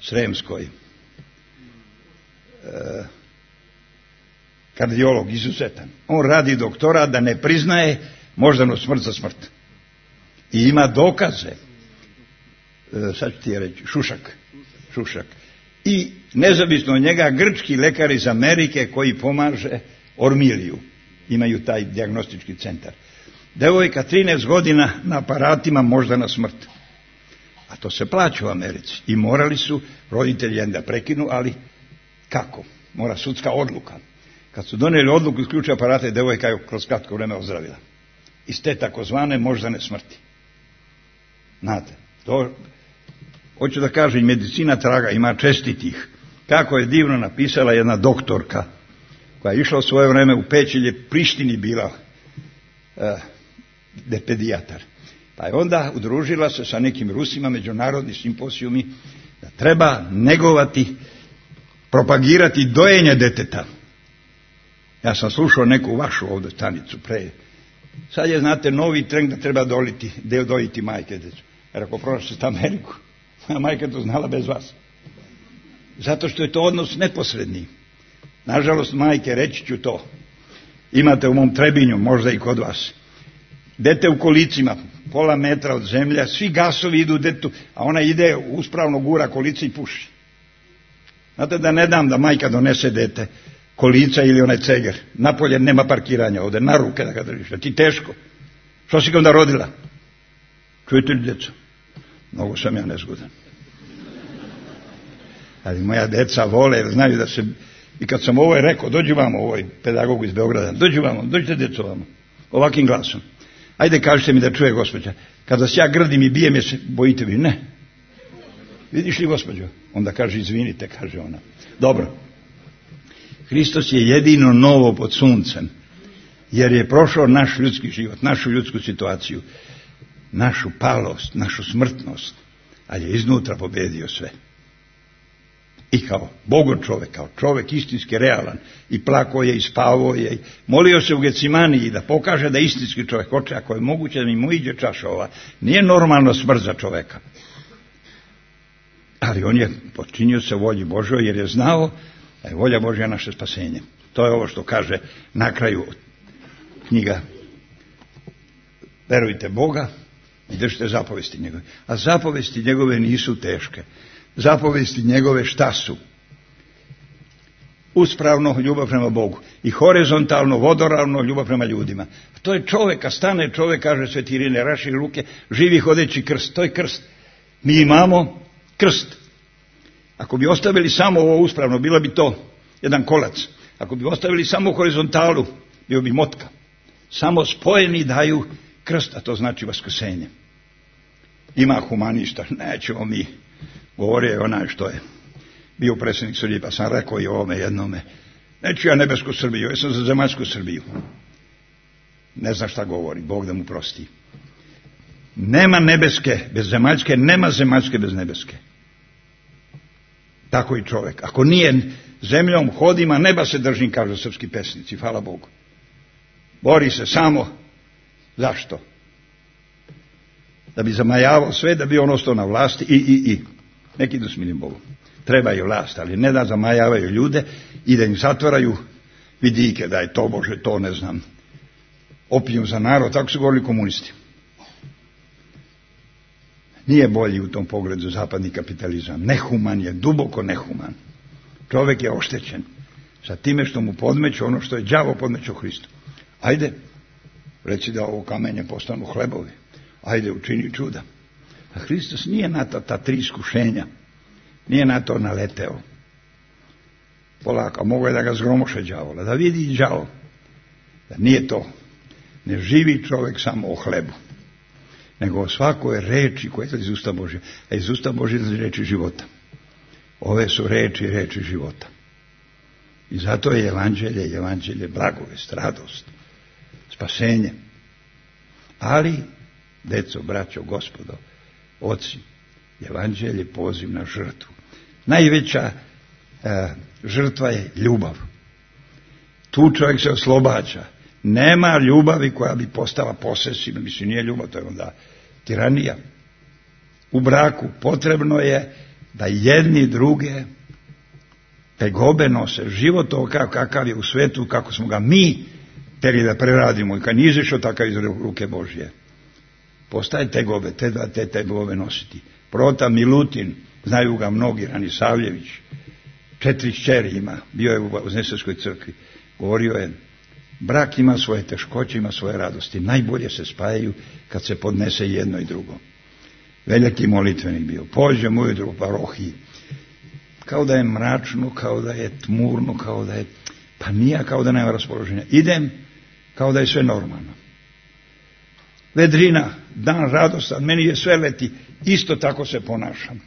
Sremskoj, kardiolog izuzetan. On radi doktorat da ne priznaje moždanu smrt za smrt. I ima dokaze. Sad ću ti je reći, Šušak. I nezavisno od njega grčki lekar iz Amerike koji pomaže Ormiliju. Imaju taj dijagnostički centar. Devojka 13 godina na aparatima moždana smrt. A to se plaća u Americi. I morali su roditelji da prekinu, ali kako? Mora sudska odluka. Kad su donijeli odluku isključiti aparate, devojka je kroz kratko vreme ozdravila. Iz te takozvane moždane smrti. Znate, to, hoću da kažem, medicina traga, ima čestitih. Kako je divno napisala jedna doktorka koja je išla u svoje vreme u Pećelje, Prištini bila pedijatar. Pa je onda udružila se sa nekim Rusima, međunarodni simposijumi, da treba negovati, propagirati dojenje deteta. Ja sam slušao neku vašu ovdje stanicu pre. Sad je, znate, novi trend da treba dojiti majke decu. Jer ako prošli Ameriku, moja majka to znala bez vas. Zato što je to odnos neposredni. Nažalost, majke, reći ću to. Imate u mom Trebinju, možda i kod vas. Dete u kolicima, pola metra od zemlje, svi gasovi idu detetu, a ona ide uspravno gura kolica i puši. Znate da ne dam da majka donese dete kolica ili onaj ceger. Napolje nema parkiranja ovdje, na ruke da ga držiš. Da ti teško. Što si ga onda rodila? Čujete li, djeco? Mnogo sam ja nezgodan. Ali moja deca vole, jer znaju da se... I kad sam ovo rekao, dođi vamo, ovoj pedagogu iz Beograda, dođi vamo, dođite djeco vamo. Ovakvim glasom. Ajde, kažite mi da čuje gospođa. Kad vas ja grdim i bijem, je se bojite vi? Ne. Vidiš li, gospođo? Onda kaže, izvinite, kaže ona. Dobro. Hristos je jedino novo pod suncem, jer je prošao naš ljudski život, našu ljudsku situaciju, našu palost, našu smrtnost, ali je iznutra pobedio sve. I kao Bogo čovjek, kao čovjek istinski realan, i plakao je, i spavao je, i molio se u Gecimaniji da pokaže da istinski čovjek, oče, ako je moguće da mi mu iđe čaša ova, nije normalno smrt za čovjeka. Ali on je počinio se volji Božoj, jer je znao da je volja Božja naše spasenje. To je ovo što kaže na kraju knjiga. Verujte Boga i držite zapovesti njegove. A zapovesti njegove nisu teške. Zapovesti njegove šta su? Uspravno ljubav prema Bogu i horizontalno, vodoravno ljubav prema ljudima. To je čovjeka, stane čovjek, kaže Sveti Irine, raši ruke, živi hodeći krst. To je krst. Mi imamo krst. Ako bi ostavili samo ovo uspravno, bilo bi to jedan kolac. Ako bi ostavili samo horizontalu, bio bi motka. Samo spojeni daju krst, a to znači vaskrsenje. Ima humanista, nećemo mi. Govorio je onaj što je bio predsjednik Srbije, pa sam rekao i ovome jednome. Neću ja nebesku Srbiju, ja sam za zemaljsku Srbiju. Ne zna šta govori, Bog da mu prosti. Nema nebeske bez zemaljske, nema zemaljske bez nebeske. Tako i čovjek. Ako nije zemljom hodima, neba se držim, kažu srpski pesnici, hvala Bogu. Bori se samo. Zašto? Da bi zamajavao sve, da bi on ostao na vlasti i. Neki idu s milim Bogom. Treba i vlast, ali ne da zamajavaju ljude i da im zatvaraju vidike, da je to Bože, to ne znam. Opijum za narod, tako su govorili komunisti. Nije bolji u tom pogledu zapadni kapitalizam. Nehuman je, duboko nehuman. Čovjek je oštećen sa time što mu podmeću ono što je đavo podmeću Hristu. Ajde, reci da ovo kamenje postanu hlebovi. Ajde, učini čuda. A Hristos nije na ta tri iskušenja. Nije na to naleteo. Polako, mogo je da ga zgromoše đavola, da vidi đavo. Da nije to. Ne živi čovjek samo o hlebu, nego o svakoj reči koja je iz usta Božja. A iz usta Božja je reči života. Ove su reči života. I zato je evanđelje blagovest, radost, spasenje. Ali, deco, braćo, gospodo, oci, evanđelje je poziv na žrtvu. Najveća žrtva je ljubav. Tu čovjek se oslobađa. Nema ljubavi koja bi postala posesivna. Mislim, nije ljubav, to je onda tiranija. U braku potrebno je da jedni druge tegobe nose. Život ovakav kakav je u svetu, kako smo ga mi teli da preradimo i kad nije izašao takav iz ruke Božje. Postaje tegobe, te tegobe nositi. Prota Milutin, znaju ga mnogi, Ranisavljević, 4 kćeri ima, bio je u Znesevskoj crkvi. Govorio je, brak ima svoje teškoće, ima svoje radosti. Najbolje se spajaju kad se podnese jedno i drugo. Veliki molitvenik bio. Pođem ujutro u parohiji. Kao da je mračno, kao da je tmurno, kao da je... Pa nije, kao da nema raspoloženja. Idem, kao da je sve normalno. Vedrina, dan radostan, meni je sve leti. Isto tako se ponašam.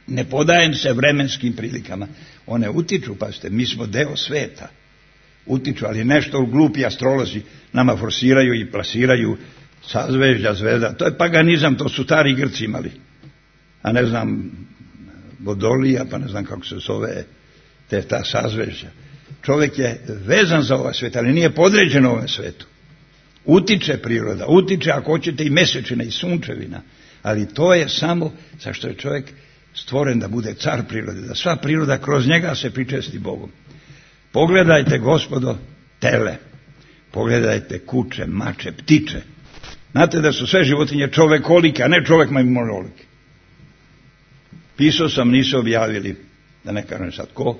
Ne podajem se vremenskim prilikama. One utiču, pazite, mi smo deo sveta. Utiču, ali nešto glupi astrolozi nama forsiraju i plasiraju sazvežđa, zvezda. To je paganizam, to su stari Grci imali. A ne znam, Bodolija, pa ne znam kako se zove ta sazvežđa. Čovjek je vezan za ovaj svet, ali nije podređen ovom svetu. Utiče priroda, utiče ako hoćete i mesečina i sunčevina, ali to je samo zašto je čovjek stvoren da bude car prirode, da sva priroda kroz njega se pričesti Bogom. Pogledajte, gospodo, tele, pogledajte kuće, mače, ptiče. Znate da su sve životinje čovekolike, a ne čovjek majmunolike. Pisao sam, nisu objavili, da ne kažem sad ko,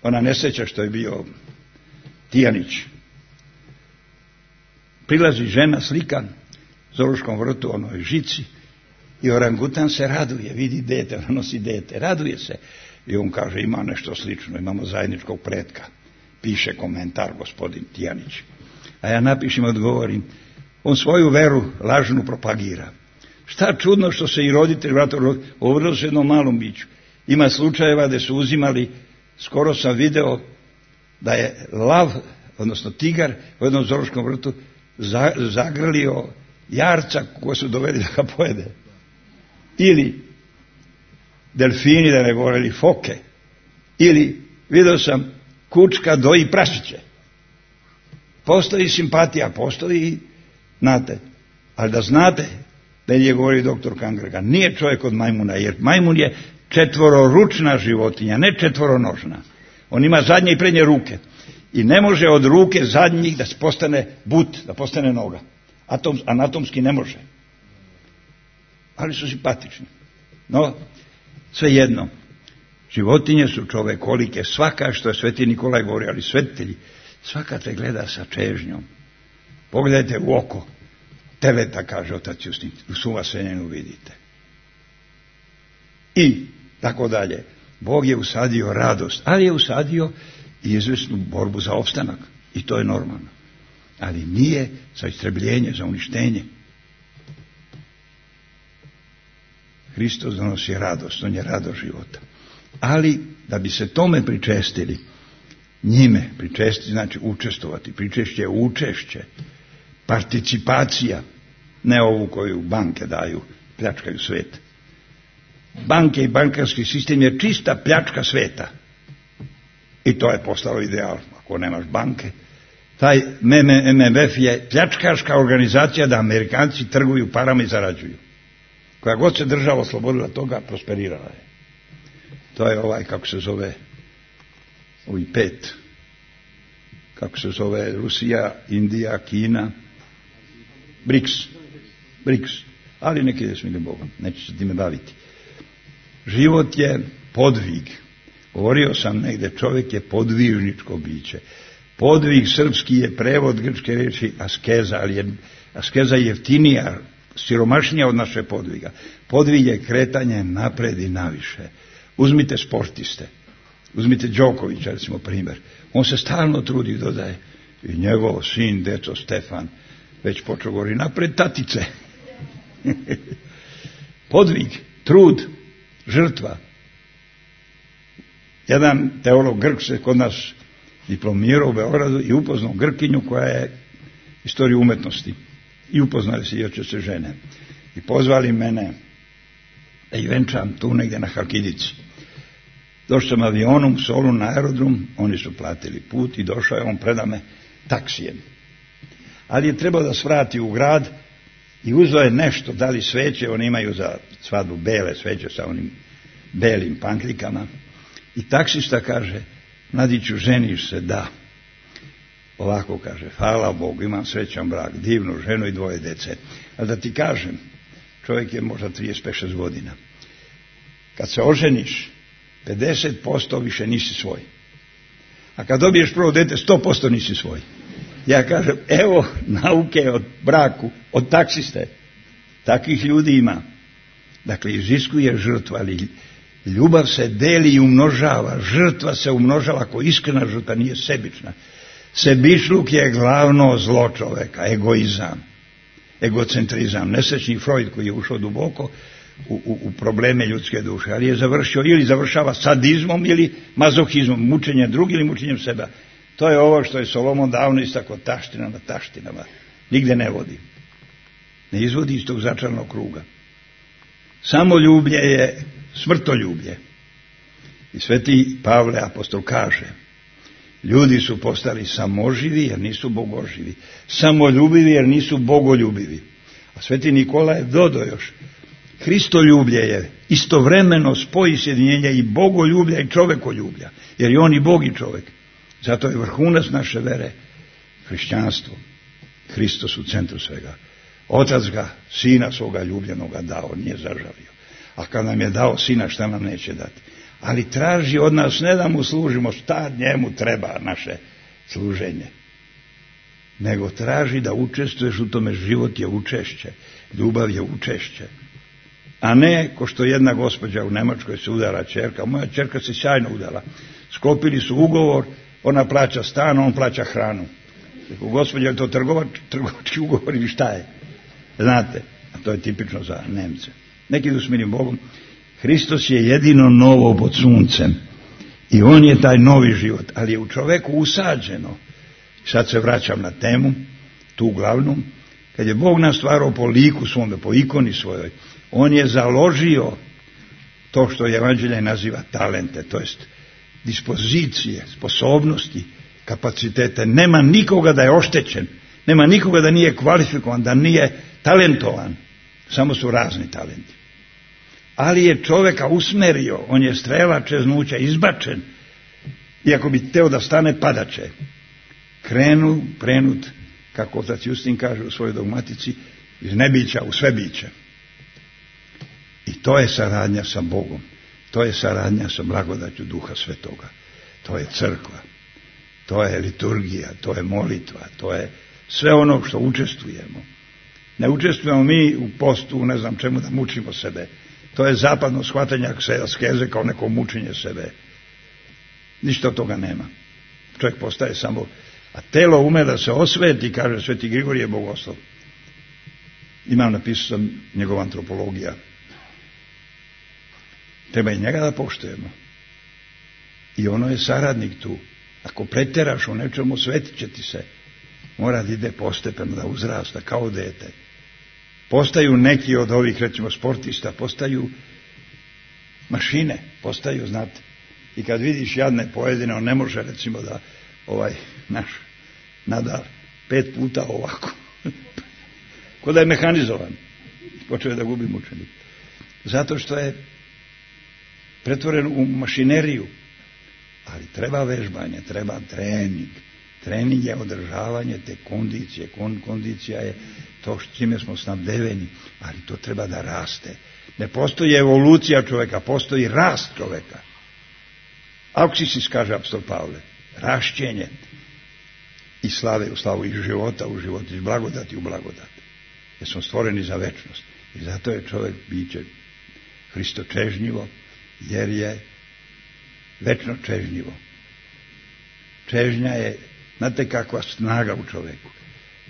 ona nesreća što je bio Tijanić. Prilazi žena, slika, zoološkom vrtu, onoj žici, i orangutan se raduje, vidi dete, ona nosi dete, raduje se. I on kaže, ima nešto slično, imamo zajedničkog pretka. Piše komentar gospodin Tijanić. A ja napišem, odgovorim, on svoju veru lažnu propagira. Šta čudno što se i roditelj ovrlo se jednom malom biću. Ima slučajeva da su uzimali, skoro sam video da je lav, odnosno tigar u jednom zoološkom vrtu zagrlio jarca koja su doveli da ga pojede. Ili delfini, da ne govorili, foke. Ili vidio sam kučka doji prašiće. Postoji simpatija, postoji, znate, ali da znate, da je govori doktor Kangrega, nije čovjek od majmuna, jer majmun je četvororučna životinja, ne četvoronožna. On ima zadnje i prednje ruke. I ne može od ruke zadnjih da postane but, da postane noga. Anatomski ne može. Ali su simpatični. No, svejedno, životinje su čovekolike, svaka, što je sveti Nikolaj govori, ali svetitelji, svaka te gleda sa čežnjom. Pogledajte u oko teleta, kaže otac Justin, u suvasenjenu vidite. I tako dalje. Bog je usadio radost, ali je usadio i izvesnu borbu za opstanak. I to je normalno. Ali nije za istrebljenje, za uništenje. Hristos donosi radost, on je radost života. Ali da bi se tome pričestili, njime pričestiti znači učestvovati, pričešće je učešće, participacija, ne ovu koju banke daju, pljačkaju svet. Banke i bankarski sistem je čista pljačka sveta. I to je postalo ideal. Ako nemaš banke, taj MMF je pljačkaška organizacija da Amerikanci trguju parama i zarađuju. Koja god se država oslobodila toga, prosperirala je. To je ovaj, kako se zove, ovi 5. Kako se zove, Rusija, Indija, Kina, BRICS. Ali neki da smije Bogom, neću se time baviti. Život je podvig. Govorio sam negde, čovjek je podvižničko biće. Podvig srpski je prevod grčke riječi askeza, ali je askeza jeftinija, siromašnija od naše podviga. Podvig je kretanje napred i naviše. Uzmite sportiste, uzmite Đokovića, recimo primjer. On se stalno trudi, dodaje, i njegov sin, deco Stefan, već počeo govori, napred tatice. Podvig, trud, žrtva. Jedan teolog Grk se kod nas diplomirao u Beogradu i upoznao Grkinju koja je istoriju umetnosti. I upoznali se i oče se žene. I pozvali mene da ih venčam tu negdje na Halkidici. Došao sam avionom u Solun na aerodrom, oni su platili put i došao je on predame taksijem. Ali je trebao da svrati u grad i uzeo je nešto, da li sveće, oni imaju za svadbu bele sveće sa onim belim panklikama. I taksista kaže, mladiću, ženiš se? Da. Ovako kaže, hvala Bogu, imam srećan brak, divnu ženu i 2 dece. Ali da ti kažem, čovjek je možda 35-6 godina. Kad se oženiš, 50% više nisi svoj. A kad dobiješ prvo dete, 100% nisi svoj. Ja kažem, evo nauke od braku, od taksiste. Takvih ljudi ima. Dakle, iziskuje žrtva, ali ljubav se deli i umnožava. Žrtva se umnožava ako iskrena žrtva nije sebična. Sebičluk je glavno zlo čoveka, egoizam, egocentrizam. Nesrećni Freud koji je ušao duboko u probleme ljudske duše, ali je završio ili završava sadizmom ili mazohizmom, mučenjem drugih ili mučenjem sebe. To je ovo što je Solomon davno istakao, taština na taštinama. Nigde ne vodi. Ne izvodi iz tog začarnog kruga. Samoljublje je smrtoljublje. I sveti Pavle apostol kaže, ljudi su postali samoživi jer nisu bogoživi, samoljubivi jer nisu bogoljubivi. A sveti Nikola je dodao još, Hristoljublje je istovremeno spoj sjedinjenja i bogoljublja i čovekoljublja, jer je on i Bog i čovek. Zato je vrhunac naše vere hrišćanstvo. Hristos u centru svega. Otac ga, sina svoga ljubljenoga dao, nije zažalio. A kad nam je dao sina, šta nam neće dati? Ali traži od nas ne da mu služimo, šta njemu treba naše služenje, nego traži da učestvuješ u tome. Život je učešće, ljubav je učešće. A ne, ko što jedna gospođa u Nemačkoj se udala ćerka, moja ćerka se sjajno udala. Sklopili su ugovor, ona plaća stan, on plaća hranu. Rekao, gospođa, je to trgovački ugovor ili šta je? Znate, a to je tipično za Nemce. Neki idu s milim Bogom. Hristos je jedino novo pod suncem i on je taj novi život, ali je u čoveku usađeno. Sad se vraćam na temu, tu glavnu, kad je Bog nas stvarao po liku svome, po ikoni svojoj, on je založio to što evanđelje naziva talente, to jest dispozicije, sposobnosti, kapacitete. Nema nikoga da je oštećen, nema nikoga da nije kvalifikovan, da nije talentovan, samo su razni talenti. Ali je čoveka usmerio, on je strela čeznuća, izbačen, iako bi teo da stane, padaće. Prenut, kako otac Justin kaže u svojoj dogmatici, iz nebića u svebiće. I to je saradnja sa Bogom, to je saradnja sa blagodaću Duha Svetoga, to je crkva, to je liturgija, to je molitva, to je sve ono što učestvujemo. Ne učestvujemo mi u postu, ne znam čemu, da mučimo sebe. To je zapadno shvatanje askeze kao neko mučenje sebe. Ništa od toga nema. Čovjek postaje samo, a telo ume da se osveti, kaže sveti Grigorije Bogoslov. Imam, napisao sam njegova antropologija. Treba i njega da poštujemo. I ono je saradnik tu. Ako pretjeraš u nečemu, osvetit će ti se. Mora da ide postepeno, da uzrasta kao dete. Postaju neki od ovih, recimo, sportista, postaju mašine, postaju, znate. I kad vidiš jadne pojedine, on ne može, recimo, da naš Nadal 5 puta ovako. Ko da je mehanizovan. Počeo je da gubi mučenik. Zato što je pretvoren u mašineriju. Ali treba vežbanje, treba trening. Trening je održavanje te kondicije. Kondicija je to čime smo snabdeveni, ali to treba da raste. Ne postoji evolucija čovjeka, postoji rast čovjeka. Auksisis, kaže apostol Pavle, rašćenje iz slave u slavu, iz života u život, iz blagodati u blagodat. Jer smo stvoreni za večnost. I zato je čovjek biće hristočežnjivo, jer je večno čežnjivo. Čežnja je, znate kakva snaga u čovjeku.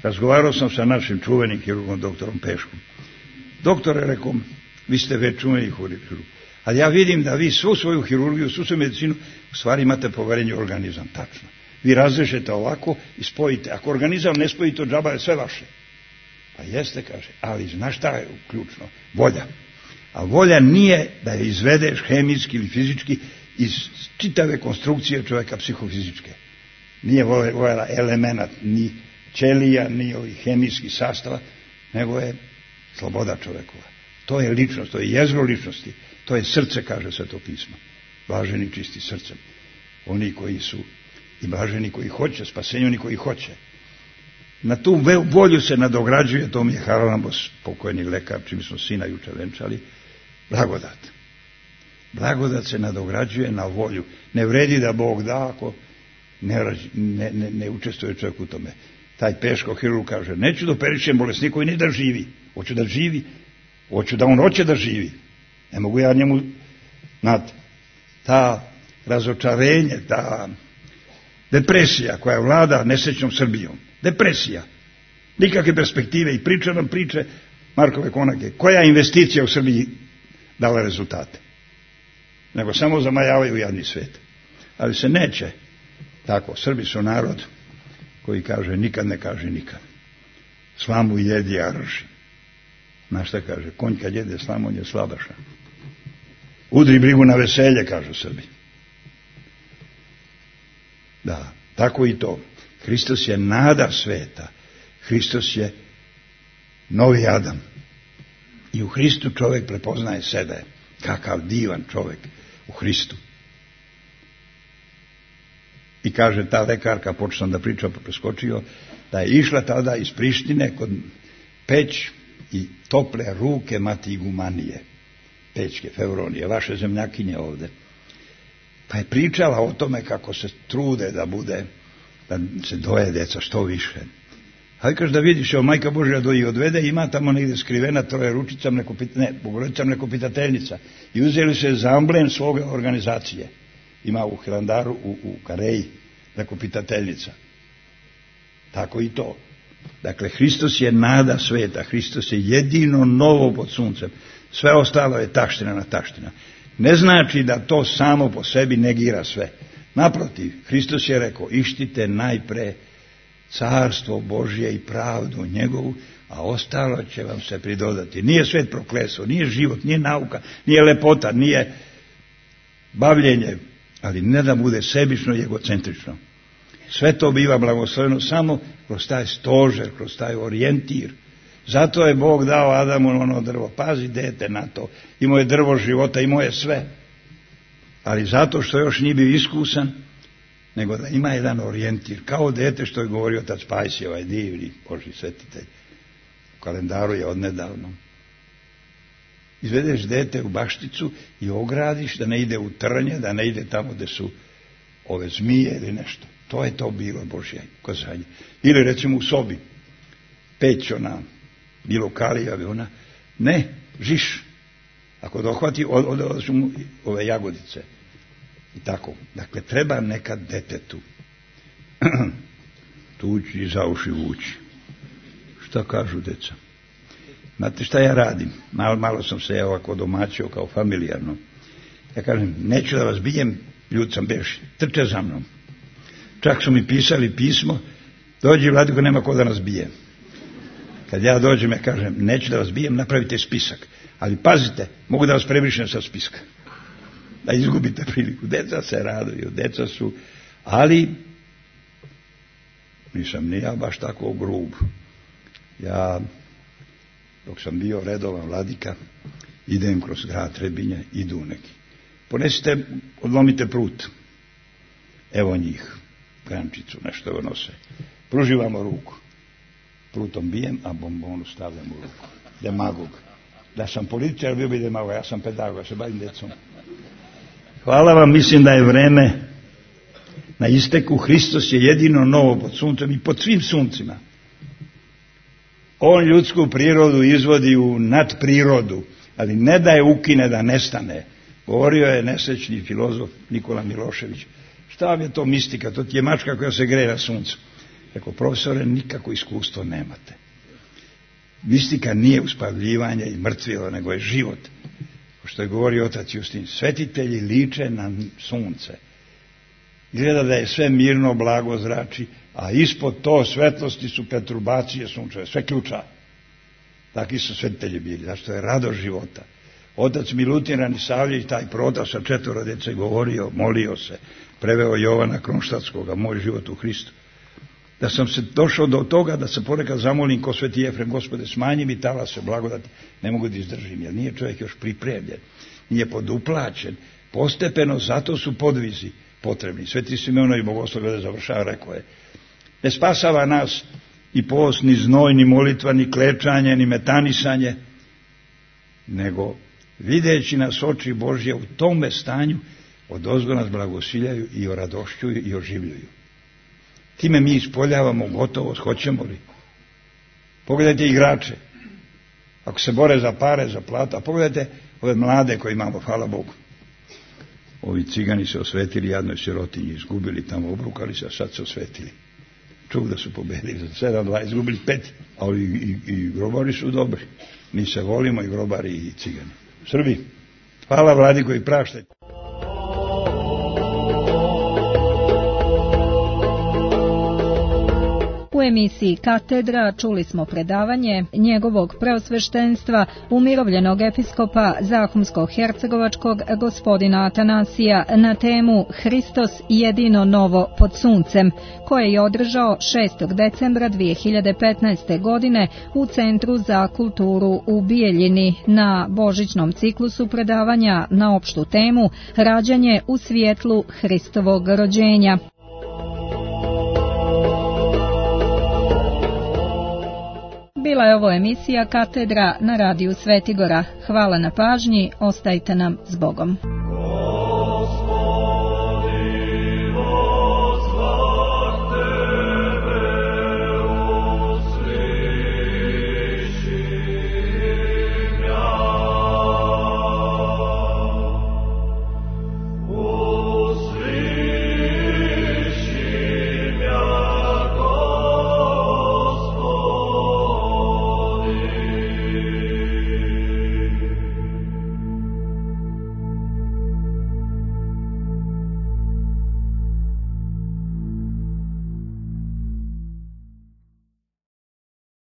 Razgovarao sam sa našim čuvenim hirurgom, doktorom Peškom. Doktore, rekom, vi ste već čuveni hirurg, Ali ja vidim da vi svu svoju hirurgiju, svu svoju medicinu, u stvari imate poverenje u organizam, tačno. Vi razrežete ovako i spojite. Ako organizam ne spojite, od džaba je sve vaše. Pa jeste, kaže, ali znaš šta je ključno? Volja. A volja nije da je izvedeš hemijski ili fizički iz čitave konstrukcije čovjeka psihofizičke. Nije volja elemenat, ni ćelija, ni ovih hemijskih sastava, nego je sloboda čovjekova. To je ličnost, to je jezgro ličnosti, to je srce, kaže Sveto pismo. Blaženi čisti srcem. Oni koji su i blaženi koji hoće, spasenju oni koji hoće. Na tu volju se nadograđuje, to mi je Haralambos, pokojni lekar, čim smo sina juče venčali, blagodat. Blagodat se nadograđuje na volju. Ne vredi da Bog da ako ne učestvuje čovjek u tome. Taj Peško hirurg kaže, neću da operišem bolesniku i ne da živi. Hoću da živi. Hoću da on hoće da živi. Ne mogu ja njemu, znate, ta razočarenje, ta depresija koja vlada nesrećnom Srbijom. Depresija. Nikakve perspektive i priča nam priče Markove Konake. Koja investicija u Srbiji dala rezultate? Nego samo zamajavaju jadni svet. Ali se neće. Tako, Srbi su narod koji kaže nikad ne kaže nikad. Slamu jedi, a rži. Znaš šta kaže? Konj kad jede slamu, on je slabaša. Udri brigu na veselje, kažu Srbi. Da, tako i to. Hristos je nada sveta. Hristos je novi Adam. I u Hristu čovjek prepoznaje sebe. Kakav divan čovjek u Hristu. I kaže ta lekarka, počeo da priča, pa preskočio, da je išla tada iz Prištine kod Peć i tople ruke mati igumanije, Pećke, Fevronije, vaše zemljakinje ovde. Pa je pričala o tome kako se trude da bude, da se doje deca što više. Ali kaže da vidiš, evo Majka Božja doji odvede, ima tamo negdje skrivena troje ručicam, bogorodicam neko pitateljnica. I uzeli se za amblem svoga organizacije. Ima u Hilandaru, u Kareji, neko pitateljnica. Tako i to. Dakle, Hristos je nada sveta, Hristos je jedino novo pod suncem. Sve ostalo je taština na taština. Ne znači da to samo po sebi negira sve. Naprotiv, Hristos je rekao, ištite najpre carstvo Božje i pravdu njegovu, a ostalo će vam se pridodati. Nije svet prokleso, nije život, nije nauka, nije lepota, nije bavljenje, ali ne da bude sebično i egocentrično. Sve to biva blagosloveno samo kroz taj stožer, kroz taj orijentir. Zato je Bog dao Adamu ono drvo. Pazi, dete, na to. Imao je drvo života, imao je sve. Ali zato što još nije bio iskusan, nego da ima jedan orijentir. Kao dete što je govorio otac Pajsi, ovaj divni Božji svetitelj. U kalendaru je odnedavno. Izvedeš dete u bašticu i ogradiš da ne ide u trnje, da ne ide tamo gde su ove zmije ili nešto. To je to bilo Božje ukazanje. Ili recimo u sobi. Peć ona, bilo kalija, ona, ne, žiš. Ako dohvati, odašu mu ove jagodice. I tako. Dakle, treba nekad detetu tući i za uši vući. Šta kažu deca? Znate šta ja radim? Malo sam se ovako domaćio kao familijarno. Ja kažem, neću da vas bijem, ljud sam beši, trče za mnom. Čak su mi pisali pismo, dođi Vladiko, nema ko da nas bije. Kad ja dođem, ja kažem, neću da vas bijem, napravite spisak. Ali pazite, mogu da vas prebrišem sa spiska. Da izgubite priliku. Deca se raduju, deca su, ali nisam ni ja baš tako grub. Ja, dok sam bio redovan vladika, idem kroz grad Trebinje, idu neki. Ponesite, odlomite prut. Evo njih, grančicu, nešto evo nose. Pruživamo ruku. Prutom bijem, a bombonu stavljam u ruku. Demagog. Da sam političar, bio bi demagog, ja sam pedagog, ja se bavim decom. Hvala vam, mislim da je vreme na isteku. Hristos je jedino novo pod suncem i pod svim suncima. On ljudsku prirodu izvodi u nadprirodu, ali ne da je ukine, da nestane. Govorio je nesrećni filozof Nikola Milošević. Šta vam je to mistika? To ti je mačka koja se greje na suncu. Rekao, profesore, nikako iskustvo nemate. Mistika nije uspavljivanje i mrtvilo, nego je život. što je govorio otac Justin, svetitelji liče na sunce. Izgleda da je sve mirno, blago zrači, a ispod to svetlosti su perturbacije sunčeve, sve ključa. Takvi su svetitelji bili, zašto je radost života. Otac Milutin Ranisavljević, taj prota sa 4 dece, govorio, molio se, preveo Jovana Kronštatskoga, moj život u Hristu. Da sam se došao do toga da se ponekad zamolim ko sveti Jefrem, Gospode, smanji mi talase blagodati, ne mogu da izdržim, jer nije čovjek još pripremljen, nije poduplaćen, postepeno, zato su podvizi potrebni. Sveti Simeonović Bogoslov glede završava, rekao je, ne spasava nas ni post, ni znoj, ni molitva, ni klečanje, ni metanisanje, nego videći nas oči Božje u tome stanju, odozgo nas blagosiljaju i oradošćuju i oživljuju. Time mi ispoljavamo gotovost, hoćemo li? Pogledajte igrače, ako se bore za pare, za plata, pogledajte ove mlade koje imamo, hvala Bogu. Ovi cigani se osvetili jadnoj sirotinji, izgubili tamo, obrukali se, a sad se osvetili. Čuv da su pobedili za 7-2, izgubili 5, a i grobari su dobri. Mi se volimo, i grobari i cigani. Srbi, hvala Vladi koji prašta. U emisiji Katedra čuli smo predavanje njegovog preosveštenstva umirovljenog episkopa Zahumsko-hercegovačkog gospodina Atanasija na temu Hristos jedino novo pod suncem, koje je održao 6. decembra 2015. godine u Centru za kulturu u Bijeljini na božićnom ciklusu predavanja na opštu temu Rađanje u svjetlu Hristovog rođenja. Bila je ovo emisija Katedra na radiju Svetigora. Hvala na pažnji, ostajte nam s Bogom.